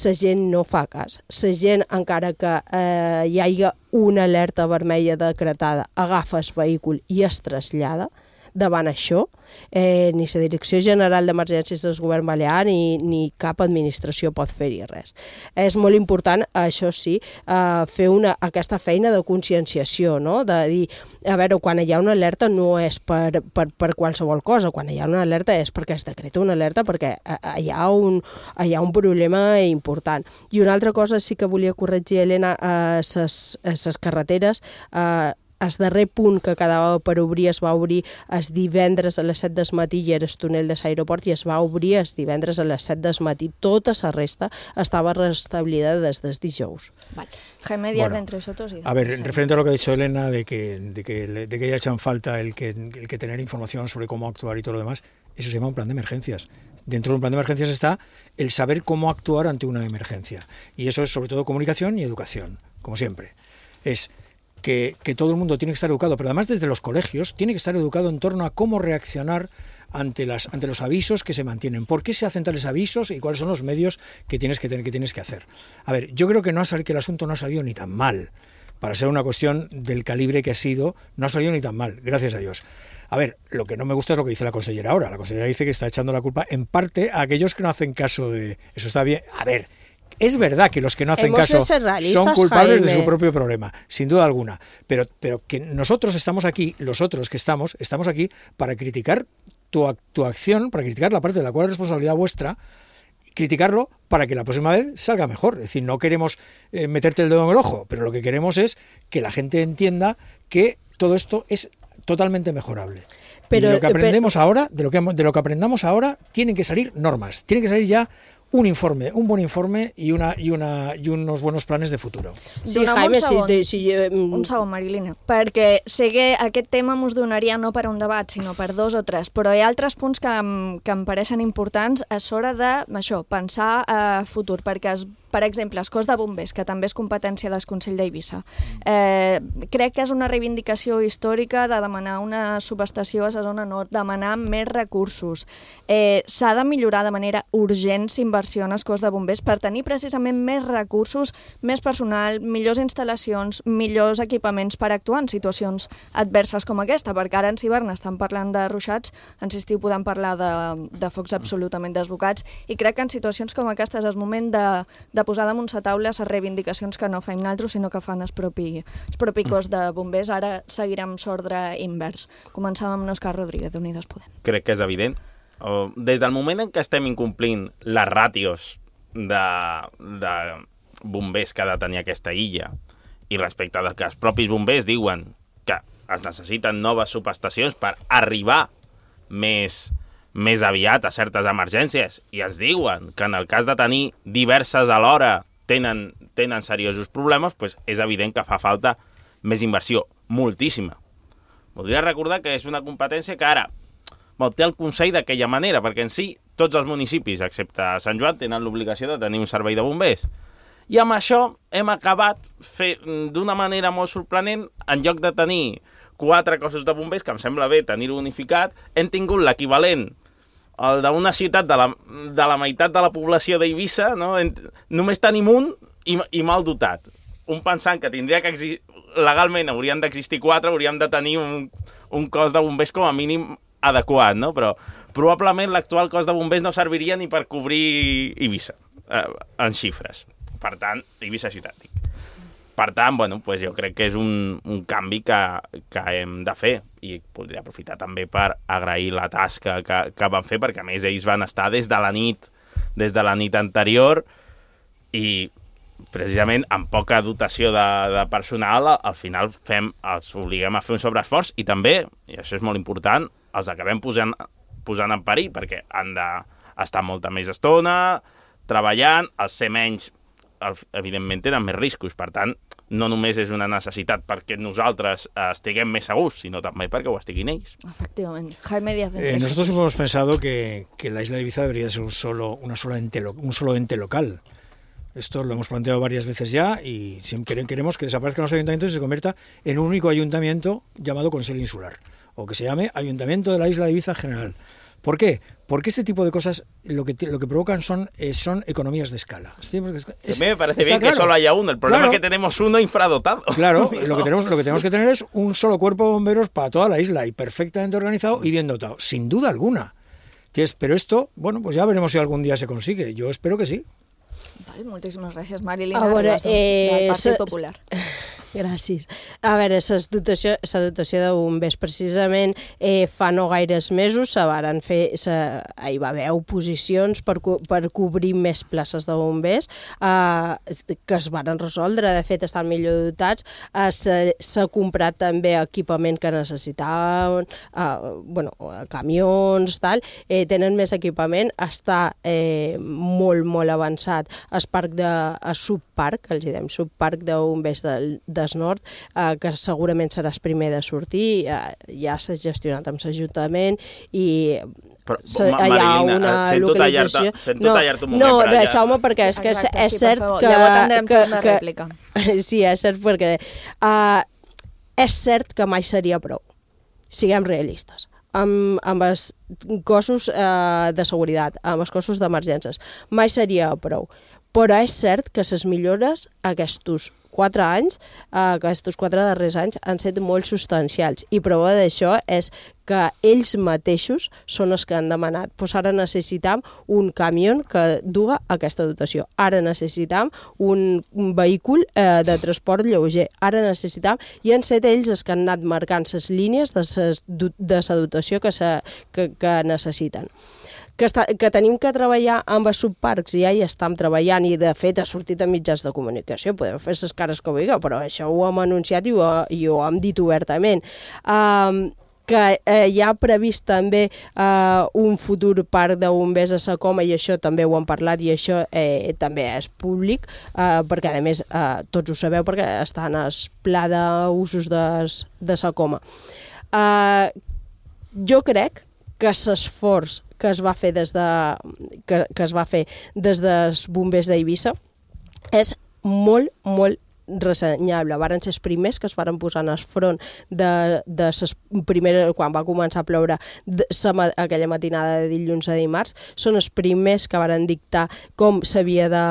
la gent no fa cas, la gent, encara que eh, hi hagi una alerta vermella decretada, agafa el vehicle i es trasllada. Davant això, eh, ni la Direcció General d'Emergències del Govern Balear ni, ni cap administració pot fer-hi res. És molt important, això sí, eh, fer una, aquesta feina de conscienciació, no? De dir, a veure, quan hi ha una alerta no és per, per, per qualsevol cosa, quan hi ha una alerta és perquè es decreta una alerta, perquè hi ha un, hi ha un problema important. I una altra cosa sí que volia corregir, Helena, a les carreteres, eh, el darrer punt que quedava per obrir es va obrir el divendres a les set del matí i era el túnel de l'aeroport i es va obrir el divendres a les set del matí. Tota la resta estava restablida des del dijous. Vale. Jaime Díaz, Bueno, entre nosotros. Y A ver, referente a lo que ha dicho Elena, de que, de que, de que haya hecho en falta el que, el que tener información sobre cómo actuar y todo lo demás, eso se llama un plan de emergencias. Dentro de un plan de emergencias está el saber cómo actuar ante una emergencia. Y eso es sobre todo comunicación y educación, como siempre. Es que, que todo el mundo tiene que estar educado, pero además desde los colegios tiene que estar educado en torno a cómo reaccionar ante, las, ante los avisos que se mantienen. ¿Por qué se hacen tales avisos y cuáles son los medios que tienes que, tener, que, tienes que hacer? A ver, yo creo que, no ha salido, que el asunto no ha salido ni tan mal. Para ser una cuestión del calibre que ha sido, no ha salido ni tan mal, gracias a Dios. A ver, lo que no me gusta es lo que dice la consellera ahora. La consellera dice que está echando la culpa en parte a aquellos que no hacen caso de... Eso está bien. A ver, es verdad que los que no hacen Hemos caso de ser realistas, son culpables Jaime. de su propio problema, sin duda alguna. Pero, pero que nosotros estamos aquí, los otros que estamos, estamos aquí para criticar tu, ac- tu acción, para criticar la parte de la cual es responsabilidad vuestra, criticarlo para que la próxima vez salga mejor. Es decir, no queremos eh, meterte el dedo en el ojo, pero lo que queremos es que la gente entienda que todo esto es totalmente mejorable. Pero, y de lo que pero- aprendemos ahora, de lo que, de lo que aprendamos ahora, tienen que salir normas, tienen que salir ya un informe, un buen informe y, una, y, una, y unos buenos planes de futuro. Sí, Jaime, un segon, si, si, un segon, Marilina, perquè sé que aquest tema mos donaria no per un debat, sinó per dos o tres, però hi ha altres punts que, que em pareixen importants a l'hora de, això, pensar a futur, perquè es per exemple, el cos de bombers, que també és competència del Consell d'Eivissa. Eh, crec que és una reivindicació històrica de demanar una subestació a la zona nord, demanar més recursos. Eh, S'ha de millorar de manera urgent l'inversió en el cos de bombers per tenir precisament més recursos, més personal, millors instal·lacions, millors equipaments per actuar en situacions adverses com aquesta, perquè ara en hivern estan parlant de ruixats, en estiu podem parlar de, de focs absolutament desbocats, i crec que en situacions com aquestes és moment de, de de posar damunt la taula les reivindicacions que no fem nosaltres, sinó que fan el propi, el propi cos de bombers. Ara seguirem l'ordre invers. Començàvem amb Òscar Rodríguez, d'Unides Podem. Crec que és evident. Des del moment en què estem incomplint les ràtios de, de bombers que ha de tenir aquesta illa, i respecte a que els propis bombers diuen que es necessiten noves subestacions per arribar més... més aviat a certes emergències, i ens diuen que en el cas de tenir diverses alhora tenen, tenen seriosos problemes, doncs és evident que fa falta més inversió, moltíssima. Voldria recordar que és una competència que ara bon, té el Consell d'aquella manera, perquè en si tots els municipis, excepte Sant Joan, tenen l'obligació de tenir un servei de bombers. I amb això hem acabat d'una manera molt sorprenent, en lloc de tenir quatre cossos de bombers, que em sembla bé tenir-ho unificat, hem tingut l'equivalent el d'una ciutat de la, de la meitat de la població d'Eivissa, no? Només tenim un i, i mal dotat. Un pensant que tindria que existir, legalment haurien d'existir quatre, hauríem de tenir un, un cos de bombers com a mínim adequat, no? Però probablement l'actual cos de bombers no serviria ni per cobrir Eivissa, eh, en xifres. Per tant, Eivissa ciutat, dic. Per tant, bueno, pues jo crec que és un, un canvi que, que hem de fer, i podria aprofitar també per agrair la tasca que, que van fer, perquè a més ells van estar des de la nit, des de la nit anterior, i precisament amb poca dotació de, de personal, al final fem, els obliguem a fer un sobreesforç, i també, i això és molt important, els acabem posant, posant en perill, perquè han d'estar molta més estona, treballant, els ser menys, evidentment tenen més riscos, per tant, no només és una necessitat perquè nosaltres estiguem més segurs, sino també perquè ho estiguin ells. Efectivamente. Jaime Díaz. Eh, nosotros hemos pensado que, que la isla de Ibiza debería ser un solo, una sola ente, un solo ente local. Esto lo hemos planteado varias veces ya y siempre queremos que desaparezcan los ayuntamientos y se convierta en un único ayuntamiento llamado Consell Insular, o que se llame Ayuntamiento de la Isla de Ibiza General. ¿Por qué? Porque este tipo de cosas lo que, lo que provocan son, eh, son economías de escala. Es, es, a mí me parece bien claro que solo haya uno. El problema claro, es que tenemos uno infradotado. Claro, lo que, tenemos, lo que tenemos que tener es un solo cuerpo de bomberos para toda la isla y perfectamente organizado y bien dotado, sin duda alguna. Pero esto, bueno, pues ya veremos si algún día se consigue. Yo espero que sí. Vale, moltíssimes gràcies, Marilina. A veure, eh, del Partit Popular. Gràcies. A veure, la dotació, dotació de bombers, precisament eh, fa no gaires mesos se varen fer, se, hi va haver oposicions per, per cobrir més places de bombers eh, que es varen resoldre, de fet estan millor dotats, eh, s'ha comprat també equipament que necessitaven, eh, bueno, camions, tal, eh, tenen més equipament, està eh, molt, molt avançat el parc de el subparc, els diem subparc de bombers del, del nord, eh, que segurament serà el primer de sortir, eh, ja s'ha gestionat amb l'Ajuntament i però, ma, hi ha una sento localització... Tallar-te, sento no, tallar-te un moment. No, per deixeu-me perquè és que Exacte, és sí, cert que... Llavors tindrem que, una que, rèplica. Sí, és cert perquè... Uh, és cert que mai seria prou. Siguem realistes. Amb, amb els cossos eh, de seguretat, amb els cossos d'emergències. Mai seria prou. Però és cert que les millores aquests quatre anys, eh, aquests quatre darrers anys, han estat molt substancials. I prova d'això és que ells mateixos són els que han demanat. Pues ara necessitam un camió que duga aquesta dotació. Ara necessitam un, un vehicle eh, de transport lleuger. Ara necessitam... I han estat ells els que han anat marcant les línies de la dotació que, se, que, que necessiten. Que, està, que tenim que treballar amb els subparcs, ja hi estem treballant i de fet ha sortit a mitjans de comunicació, podem fer les cares que vulgueu, però això ho hem anunciat i ho, i ho hem dit obertament. Um, que eh, hi ha previst també eh, un futur parc de bombers a Sa Coma, i això també ho hem parlat, i això eh, també és públic, eh, perquè a més eh, tots ho sabeu perquè està en el pla d'usos de, de Sa Coma. Eh, jo crec que l'esforç que es va fer des de que, que es va fer des dels bombers d'Eivissa és molt, molt ressenyable. Varen ser els primers que es varen posar en el front de, de ses primeres, quan va començar a ploure de, sa, aquella matinada de dilluns a dimarts, són els primers que varen dictar com s'havia de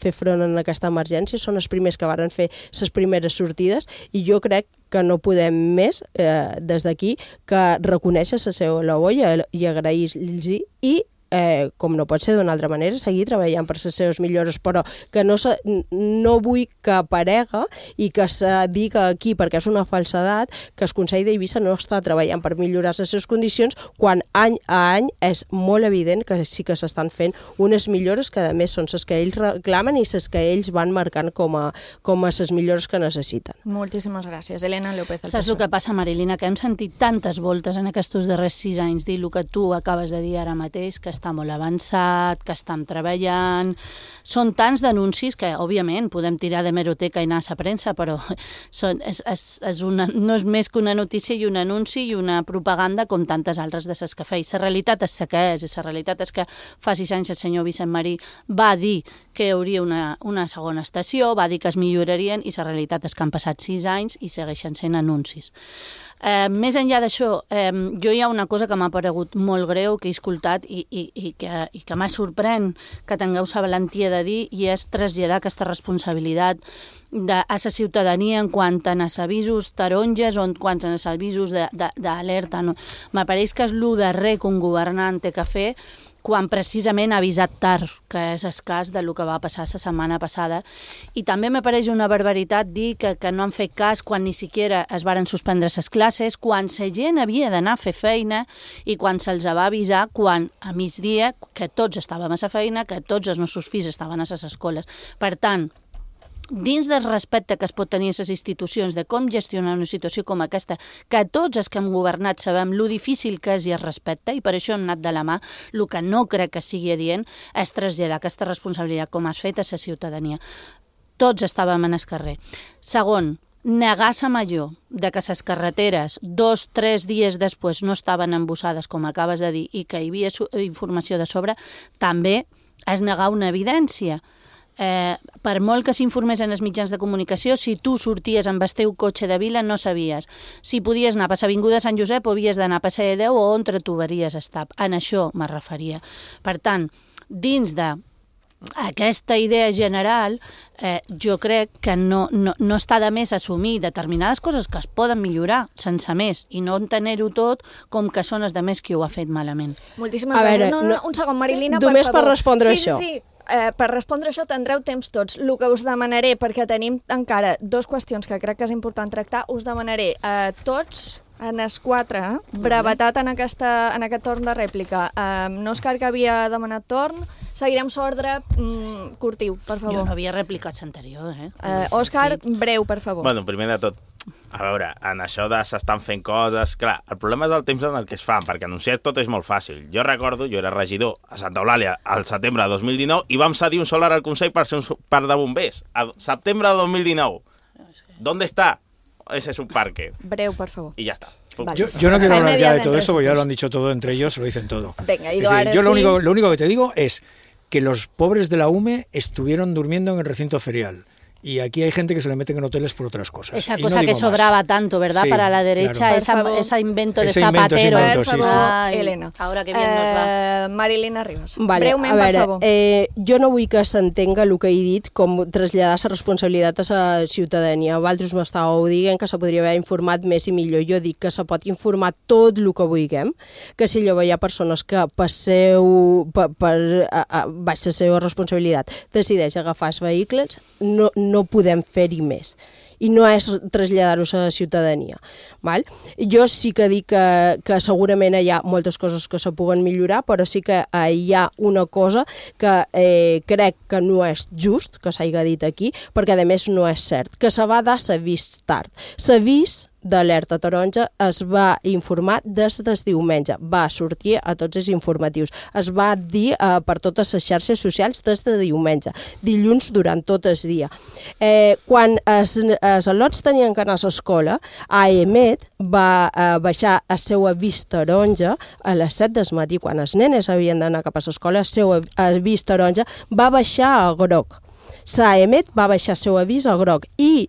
fer front en aquesta emergència, són els primers que varen fer les primeres sortides, i jo crec que no podem més eh, des d'aquí que reconèixer la seva labor i, i agrair-los, i Eh, com no pot ser d'una altra manera, seguir treballant per les seves millores, però que no, se, no vull que aparega i que se diga aquí, perquè és una falsedat, que el Consell d'Eivissa no està treballant per millorar les seves condicions, quan any a any és molt evident que sí que s'estan fent unes millores que a més són les que ells reclamen i les que ells van marcant com a, com a les millores que necessiten. Moltíssimes gràcies. Elena López. Saps el que passa, Marilina? Que hem sentit tantes voltes en aquests darrers sis anys dir el que tu acabes de dir ara mateix, que està molt avançat, que estem treballant. Són tants d'anuncis que, òbviament, podem tirar de meroteca i anar a la premsa, però són, és, és, és una, no és més que una notícia i un anunci i una propaganda com tantes altres de ses que feia. La realitat és la que és, i la realitat és que fa sis anys el senyor Vicent Marí va dir que hi hauria una, una segona estació, va dir que es millorarien, i la realitat és que han passat sis anys i segueixen sent anuncis. Eh, més enllà d'això, eh, jo hi ha una cosa que m'ha paregut molt greu, que he escoltat i, i, i que, i que m'ha sorprèn que tingueu la valentia de dir, i és traslladar aquesta responsabilitat de, a la ciutadania en quant a els avisos taronges o en quant a els avisos d'alerta. No? M'apareix que és el darrer que un governant té que fer quan precisament ha avisat tard, que és el cas del que va passar la setmana passada. I també m'apareix una barbaritat dir que, que no han fet cas quan ni siquiera es varen suspendre les classes, quan la gent havia d'anar a fer feina i quan se'ls va avisar quan a migdia que tots estàvem a la feina, que tots els nostres fills estaven a les escoles. Per tant, dins del respecte que es pot tenir a les institucions de com gestionar una situació com aquesta, que tots els que hem governat sabem lo difícil que és i es respecta, i per això hem anat de la mà, el que no crec que sigui adient és traslladar aquesta responsabilitat com has fet a la ciutadania. Tots estàvem en el carrer. Segon, negar la major de que les carreteres dos, tres dies després no estaven embussades, com acabes de dir, i que hi havia informació de sobre, també és negar una evidència. Eh, per molt que s'informés en els mitjans de comunicació, si tu sorties amb el teu cotxe de vila no sabies si podies anar a l'avinguda Sant Josep o havies d'anar a Passeig de Déu o on trobaries estar. En això me referia. Per tant, dins de aquesta idea general, eh, jo crec que no, no, no està de més assumir determinades coses que es poden millorar sense més i no entener-ho tot com que són els de més qui ho ha fet malament. Moltíssimes gràcies. No, no, un segon, Marilina, per favor. Només per respondre sí, això. Sí, sí. Eh, per respondre això tindreu temps tots. El que us demanaré, perquè tenim encara dues qüestions que crec que és important tractar, us demanaré a eh, tots, en els quatre, eh? brevetat en, aquesta, en aquest torn de rèplica. Eh, no Òscar, que havia demanat torn, seguirem l'ordre mm, curtiu, per favor. Jo no havia replicat l'anterior, eh? eh Òscar, breu, per favor. Bueno, primer de tot, a veure, en això de s'estan fent coses... Clar, el problema és el temps en el que es fan, perquè anunciar tot és molt fàcil. Jo recordo, jo era regidor a Santa Eulàlia al setembre de dos mil dinou i vam cedir un solar al Consell per ser un parc de bombers. A setembre de dos mil dinou. ¿Dónde está ese subparque? Breu, por favor. Y ya está. Vale. Yo, yo no quiero hablar ya de todo esto, porque ya lo han dicho todo entre ellos, se lo dicen todo. Venga, es decir, yo lo único, lo único que te digo es que los pobres de la U M E estuvieron durmiendo en el recinto ferial. Y aquí hay gente que se le meten en hoteles por otras cosas. Esa cosa no que sobraba más. Tanto, ¿verdad? Sí, para la derecha, claro. esa, ese invento de ese Zapatero. Invento, ese invento, sí, sí. Ay, Elena. Ahora que bien eh, nos va. Marilina Ribas. Vale, breument, a veure, per favor. Eh, jo no vull que s'entenga el que he dit com traslladar la responsabilitat a la ciutadania. Vosaltres m'estàveu dient que se podria haver informat més i millor. Jo dic que se pot informar tot el que vulguem, que si llavors hi ha persones que passeu per, per a, a, baix la seva responsabilitat decideix agafar els vehicles, no, no podem fer més. I no és traslladar-ho a la ciutadania. Val? Jo sí que dic que, que segurament hi ha moltes coses que se puguen millorar, però sí que eh, hi ha una cosa que eh, crec que no és just que s'hagi dit aquí, perquè a més no és cert, que se va dar l'avís tard. L'avís d'alerta taronja es va informar des del diumenge, va sortir a tots els informatius, es va dir eh, per totes les xarxes socials des de diumenge, dilluns durant tot el dia. Eh, quan els, els al·lots tenien que anar a l'escola, A E M E T va eh, baixar el seu avís taronja a les set del matí, quan els nenes havien d'anar cap a l'escola, el seu avís taronja va baixar a groc. L'A E M E T va baixar el seu avís a groc i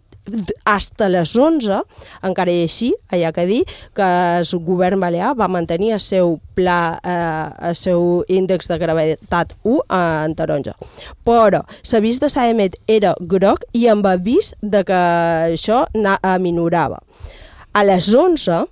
hasta les onze, encara i així, hi ha que dir que el govern balear va mantenir el seu pla, eh, el seu índex de gravetat u en taronja. Però l'avís de l'A E M E T era groc i amb avís de que això aminorava. A les onze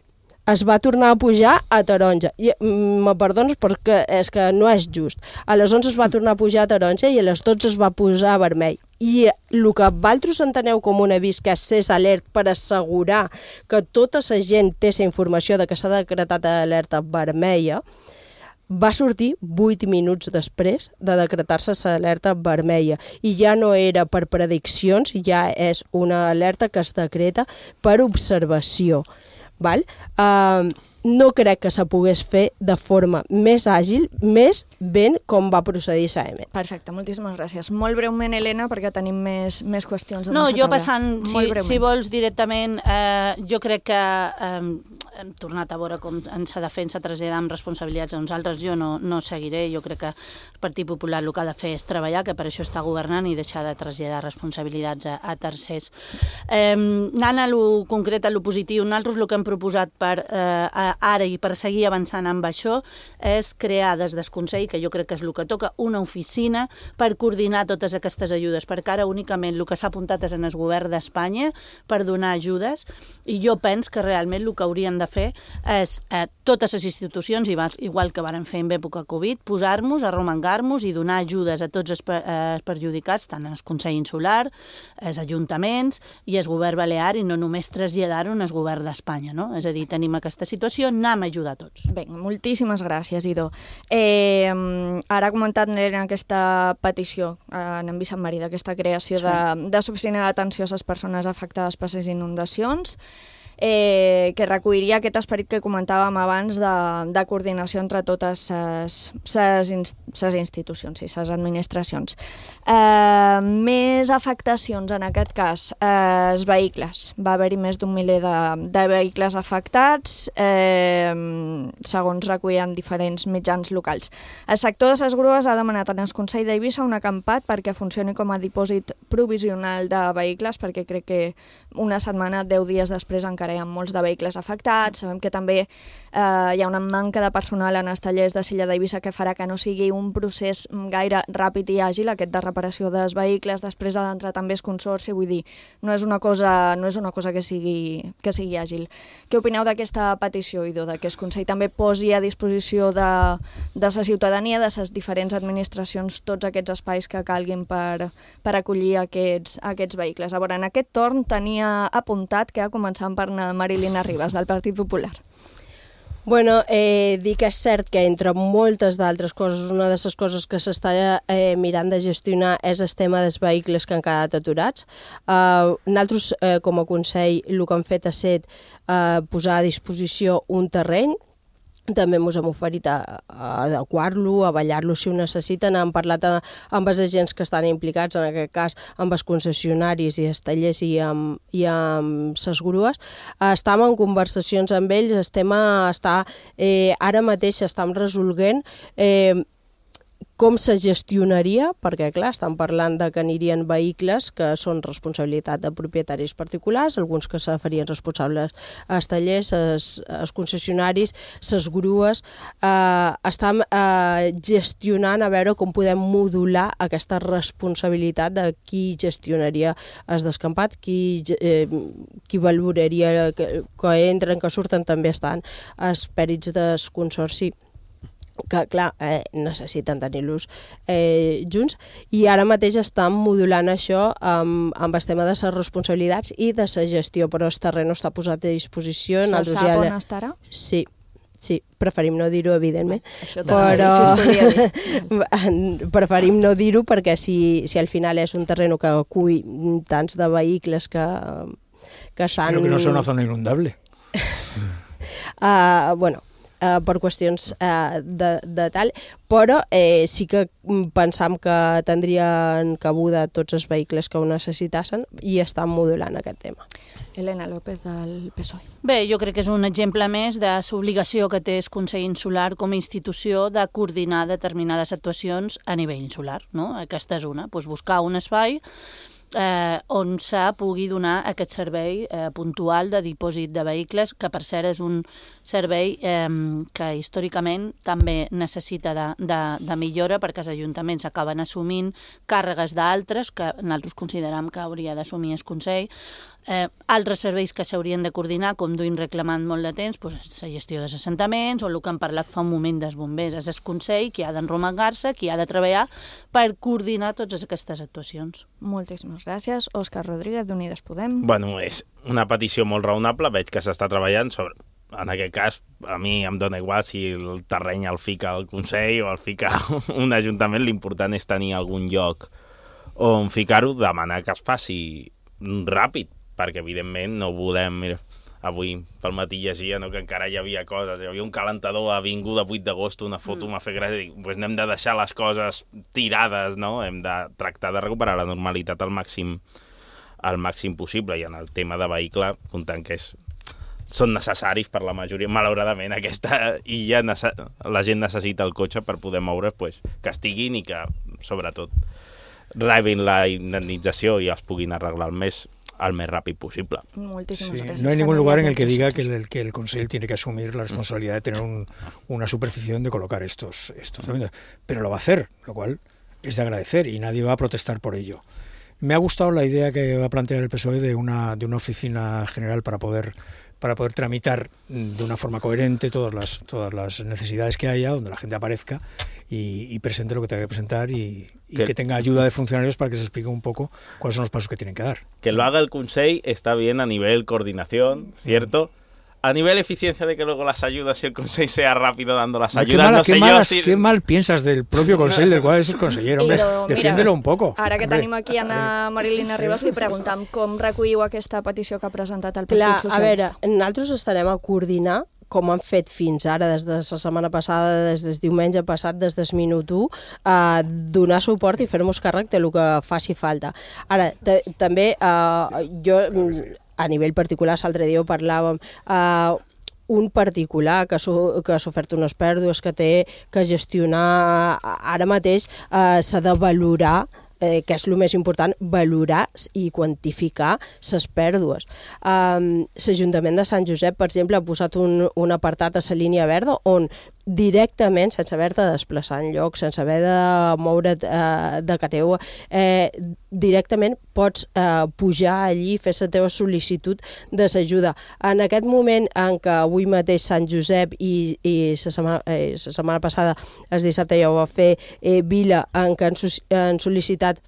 es va tornar a pujar a taronja. I, me perdones perquè és que no és just. A les onze es va tornar a pujar a taronja i a les dotze es va posar a vermell. I el que vosaltres enteneu com un avís que és alert per assegurar que tota la gent té la informació de que s'ha decretat alerta vermella, va sortir vuit minuts després de decretar-se l'alerta vermella i ja no era per prediccions, ja és una alerta que es decreta per observació. Val? Uh, no crec que se pogués fer de forma més àgil, més ben com va procedir l'A E M E T. Perfecte, moltíssimes gràcies. Molt breument, Helena, perquè tenim més, més qüestions. No, jo passant, si, si vols directament, eh, jo crec que eh, hem tornat a veure com ens defensa traslladar amb responsabilitats a nosaltres. Jo no, no seguiré, jo crec que el Partit Popular el que ha de fer és treballar, que per això està governant, i deixar de traslladar responsabilitats a, a tercers. Eh, anant a lo concret, a lo positiu, nosaltres el que hem proposat per eh, ara i per seguir avançant amb això és crear des del Consell, que jo crec que és el que toca, una oficina per coordinar totes aquestes ajudes, perquè ara únicament el que s'ha apuntat és en el govern d'Espanya per donar ajudes, i jo penso que realment el que haurien de fer és eh, totes les institucions, igual que varen fer en època Covid, posar-nos, arromangar-nos i donar ajudes a tots els eh, perjudicats, tant el Consell Insular, els ajuntaments i el govern balear, i no només traslladar-ho al govern d'Espanya, no? És a dir, tenim aquesta situació, anem a ajudar a tots. Bé, moltíssimes gràcies, Ido. Eh, ara ha comentat Helena aquesta petició eh, en Vicent Marí, d'aquesta creació sí. de, de l'oficina d'atenció a les persones afectades per les inundacions, eh, que recolliria aquest esperit que comentàvem abans de, de coordinació entre totes les institucions i les administracions. Eh, més afectacions, en aquest cas, eh, els vehicles. Va haver-hi més d'un miler de, de vehicles afectats, eh, segons recullen diferents mitjans locals. El sector de les grues ha demanat en el Consell d'Eivissa un acampat perquè funcioni com a dipòsit provisional de vehicles, perquè crec que una setmana, deu dies després, encara hi ha molts de vehicles afectats. Sabem que també eh, hi ha una manca de personal en els tallers de Silla d'Eivissa que farà que no sigui un procés gaire ràpid i àgil, aquest de reparació dels vehicles. Després ha d'entrar també el consorci, vull dir, no és una cosa, no és una cosa que sigui, que sigui àgil. Què opineu d'aquesta petició, Ido, de que el Consell també posi a disposició de, de la ciutadania, de les diferents administracions, tots aquests espais que calguin per, per acollir aquests, aquests vehicles? A veure, en aquest torn tenia apuntat que, començant per Marilina Ribas, del Partit Popular. Bueno, eh, dir que és cert que entre moltes d'altres coses, una de les coses que s'està eh, mirant de gestionar és el tema dels vehicles que han quedat aturats. Eh, nosaltres, eh, com a Consell, el que hem fet ha estat eh, posar a disposició un terreny. També ens hem oferit a, a adequar-lo, a ballar-lo si ho necessiten. Hem parlat a, amb els agents que estan implicats, en aquest cas amb els concessionaris i els tallers i amb, i amb les grues. Estem en conversacions amb ells, el tema està, eh, ara mateix estem resolguent eh, com se gestionaria, perquè clar, estan parlant de que anirien vehicles que són responsabilitat de propietaris particulars, alguns que se farien responsables als tallers, als concessionaris, les grues. Eh, estem eh, gestionant a veure com podem modular aquesta responsabilitat de qui gestionaria el descampat, qui, eh, qui valoraria que, que entren, que surten, també estan els pèrits del consorci, que clar, eh, necessiten tenir-los eh, junts, i ara mateix estan modulant això amb, amb el tema de les responsabilitats i de la gestió, però el terreny està posat a disposició. Se sap ja... on estarà? Sí, sí, preferim no dir-ho, evidentment. Això també, però... si es podria dir. Preferim no dir-ho perquè si, si al final és un terreny que acull tants de vehicles que... que estan... Espero que no sea una zona inundable. uh, bueno, Uh, per qüestions uh, de, de tal, però eh, sí que pensam que tindrien cabuda tots els vehicles que ho necessitassin i estan modulant aquest tema. Elena López, del P S O E. Bé, jo crec que és un exemple més de l'obligació que té el Consell Insular com a institució de coordinar determinades actuacions a nivell insular, no? Aquesta és una, doncs buscar un espai Eh, on se pugui donar aquest servei eh, puntual de dipòsit de vehicles, que per cert és un servei eh, que històricament també necessita de, de, de millora, perquè els ajuntaments acaben assumint càrregues d'altres que nosaltres considerem que hauria d'assumir el Consell. Eh, altres serveis que s'haurien de coordinar, com duim reclamant molt de temps, doncs, la gestió dels assentaments o el que hem parlat fa un moment dels bombers. És el Consell qui ha d'enromangar-se, qui ha de treballar per coordinar totes aquestes actuacions. Moltíssimes gràcies. Òscar Rodríguez, d'Unides Podem. Bueno, és una petició molt raonable, veig que s'està treballant sobre... En aquest cas, a mi em dona igual si el terreny el fica el Consell o el fica un ajuntament, l'important és tenir algun lloc on ficar-ho, demanar que es faci ràpid, perquè evidentment no volem... Mira, avui pel matí llegia no, que encara hi havia coses, hi havia un calentador a Avinguda vuit d'agost, una foto mm. m'ha fet gràcia, dic, pues no hem de deixar les coses tirades, no? Hem de tractar de recuperar la normalitat al màxim, al màxim possible, i en el tema de vehicle, comptant que és, són necessaris per la majoria, malauradament aquesta illa, la gent necessita el cotxe per poder moure, pues, que estiguin i que, sobretot, rebin la indemnització i els puguin arreglar el més al més ràpid possible. Muchísimas sí, gracias. No hay ningún lugar en el que diga que el, que el Consell tiene que asumir la responsabilidad de tener un, una superficie donde colocar estos, estos pero lo va a hacer, lo cual es de agradecer y nadie va a protestar por ello. Me ha gustado la idea que va a plantear el P S O E de una, de una oficina general para poder, para poder tramitar de una forma coherente todas las, todas las necesidades que haya, donde la gente aparezca y, y presente lo que tenga que presentar y, y que, que tenga ayuda de funcionarios para que se explique un poco cuáles son los pasos que tienen que dar. Que lo haga el Consell está bien a nivel coordinación, ¿cierto? A nivel eficiencia de que luego las ayudas y el Consell sea rápido dando las ayudas, qué, mala, no sé qué, yo malas, si... qué mal piensas del propio Consell del cual es consellero, hombre, Però, defiéndelo mira, un poco. Ara que hombre. tenim aquí Anna Marilina Ribas, li preguntam com recolliu aquesta petició que ha presentat el Clar, Partit a veure, Socialista. nosaltres estarem a coordinar com han fet fins ara, des de la setmana passada, des del diumenge passat, des del minut u, a donar suport i fer-nos càrrec de lo que faci falta. Ara, també, uh, jo, a nivell particular, l'altre dia ho parlàvem, uh, un particular que ha sofert unes pèrdues, que té que gestionar ara mateix, uh, s'ha de valorar, eh, que és el més important, valorar i quantificar les pèrdues. Um, L'Ajuntament de Sant Josep, per exemple, ha posat un, un apartat a la línia verda on directament, sense haver de desplaçar enlloc, sense haver de moure't eh, de Cateu, eh, directament pots eh, pujar allí i fer la teva sol·licitud de l'ajuda. En aquest moment en què avui mateix Sant Josep i, i la setmana, eh, la setmana passada, el dissabte ja ho va fer eh, Vila, en què han, han sol·licitat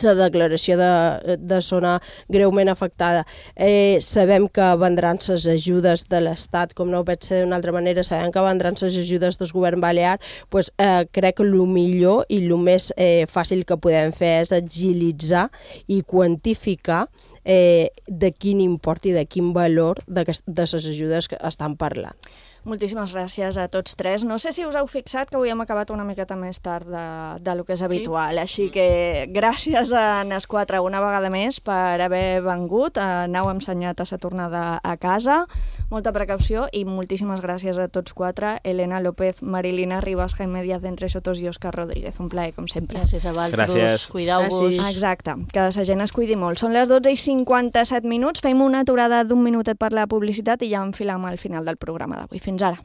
la declaració de, de zona greument afectada. Eh, sabem que vendran les ajudes de l'Estat, com no ho pot ser d'una altra manera, sabem que vendran les ajudes del govern balear, pues, eh, crec que el millor i el més eh, fàcil que podem fer és agilitzar i quantificar eh, de quin import i de quin valor de, de les ajudes que estan parlant. Moltíssimes gràcies a tots tres. No sé si us heu fixat que avui hem acabat una miqueta més tard de, de lo que és habitual, sí. Així que gràcies a les quatre una vegada més per haver vengut. N'heu ensenyat a la tornada a casa. Molta precaució i moltíssimes gràcies a tots quatre. Elena López, Marilina Ribas, Jaime Díaz d'Entre Sotos i Òscar Rodríguez. Un plaer, com sempre. Gràcies a vosaltres. Cuideu-vos. Exacte, que la gent es cuidi molt. Són les dotze i cinquanta-set minuts. Fem una aturada d'un minutet per la publicitat i ja enfilam al final del programa d'avui. Fins ara.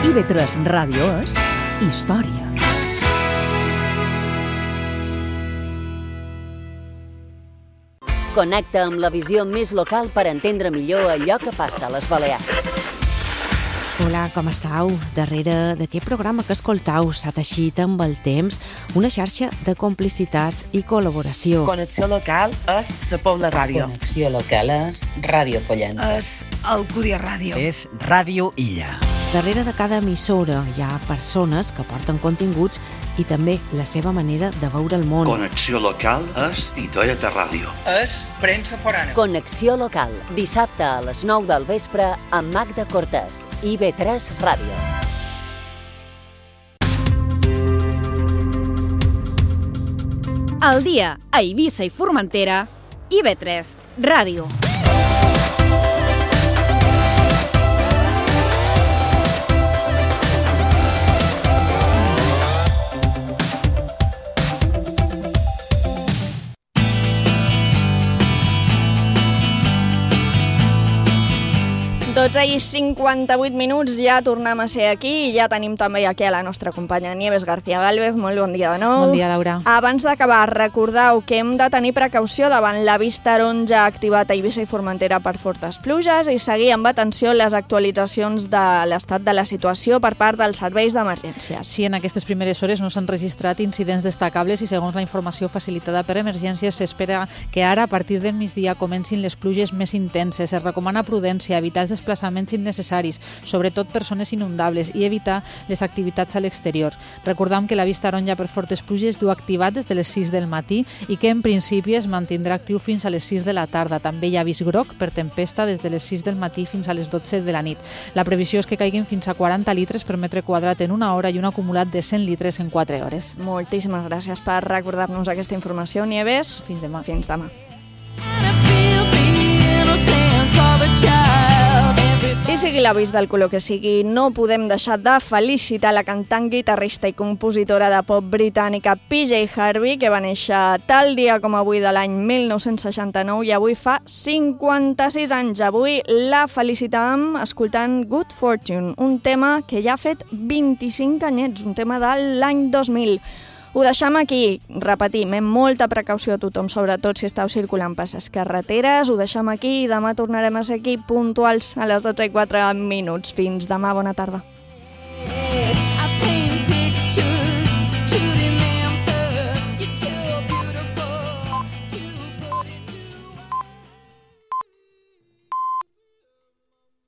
I ve tres Ràdio és història. Connecta amb la visió més local per entendre millor allò que passa a les Balears. Hola, com estàu? Darrere d'aquest programa que escoltau s'ha teixit amb el temps una xarxa de complicitats i col·laboració. Connexió local és la Pobla Ràdio. Connexió local és Ràdio Pollença. És Alcúdia Ràdio. És Ràdio Illa. Darrere de cada emissora hi ha persones que porten continguts i també la seva manera de veure el món. Connexió local és I T E T Ràdio. És premsa forana. Connexió local, dissabte a les nou del vespre amb Magda Cortés, I B tres Ràdio. El dia a Eivissa i Formentera, I B tres Ràdio. dotze i cinquanta-vuit minuts, ja tornem a ser aquí i ja tenim també aquí a la nostra companya Nieves García Gálvez. Molt bon dia de nou. Bon dia, Laura. Abans d'acabar, recordeu que hem de tenir precaució davant l'avís taronja activat a Eivissa i Formentera per fortes pluges i seguir amb atenció les actualitzacions de l'estat de la situació per part dels serveis d'emergències. Sí, en aquestes primeres hores no s'han registrat incidents destacables i segons la informació facilitada per emergències s'espera que ara a partir del migdia comencin les pluges més intenses. Es recomana prudència, evitar els desplaçaments innecessaris, sobretot per zones inundables, i evitar les activitats a l'exterior. Recordam que l'avís taronja per fortes pluges du activat des de les sis del matí i que en principi es mantindrà actiu fins a les sis de la tarda. També hi ha avís groc per tempesta des de les sis del matí fins a les dotze de la nit. La previsió és que caiguin fins a quaranta litres per metre quadrat en una hora i un acumulat de cent litres en quatre hores. Moltíssimes gràcies per recordar-nos aquesta informació, Nieves. Fins demà. Fins demà. I sigui l'avís del color que sigui, no podem deixar de felicitar la cantant, guitarrista i compositora de pop britànica P J Harvey, que va néixer tal dia com avui de l'any mil nou-cents seixanta-nou i avui fa cinquanta-sis anys. Avui la felicitàvem escoltant Good Fortune, un tema que ja ha fet vint-i-cinc anyets, un tema de l'any dos mil. Ho deixem aquí, repetim, amb molta precaució a tothom, sobretot si esteu circulant per les carreteres. Ho deixem aquí i demà tornarem a ser aquí puntuals a les dotze i quatre minuts. Fins demà, bona tarda.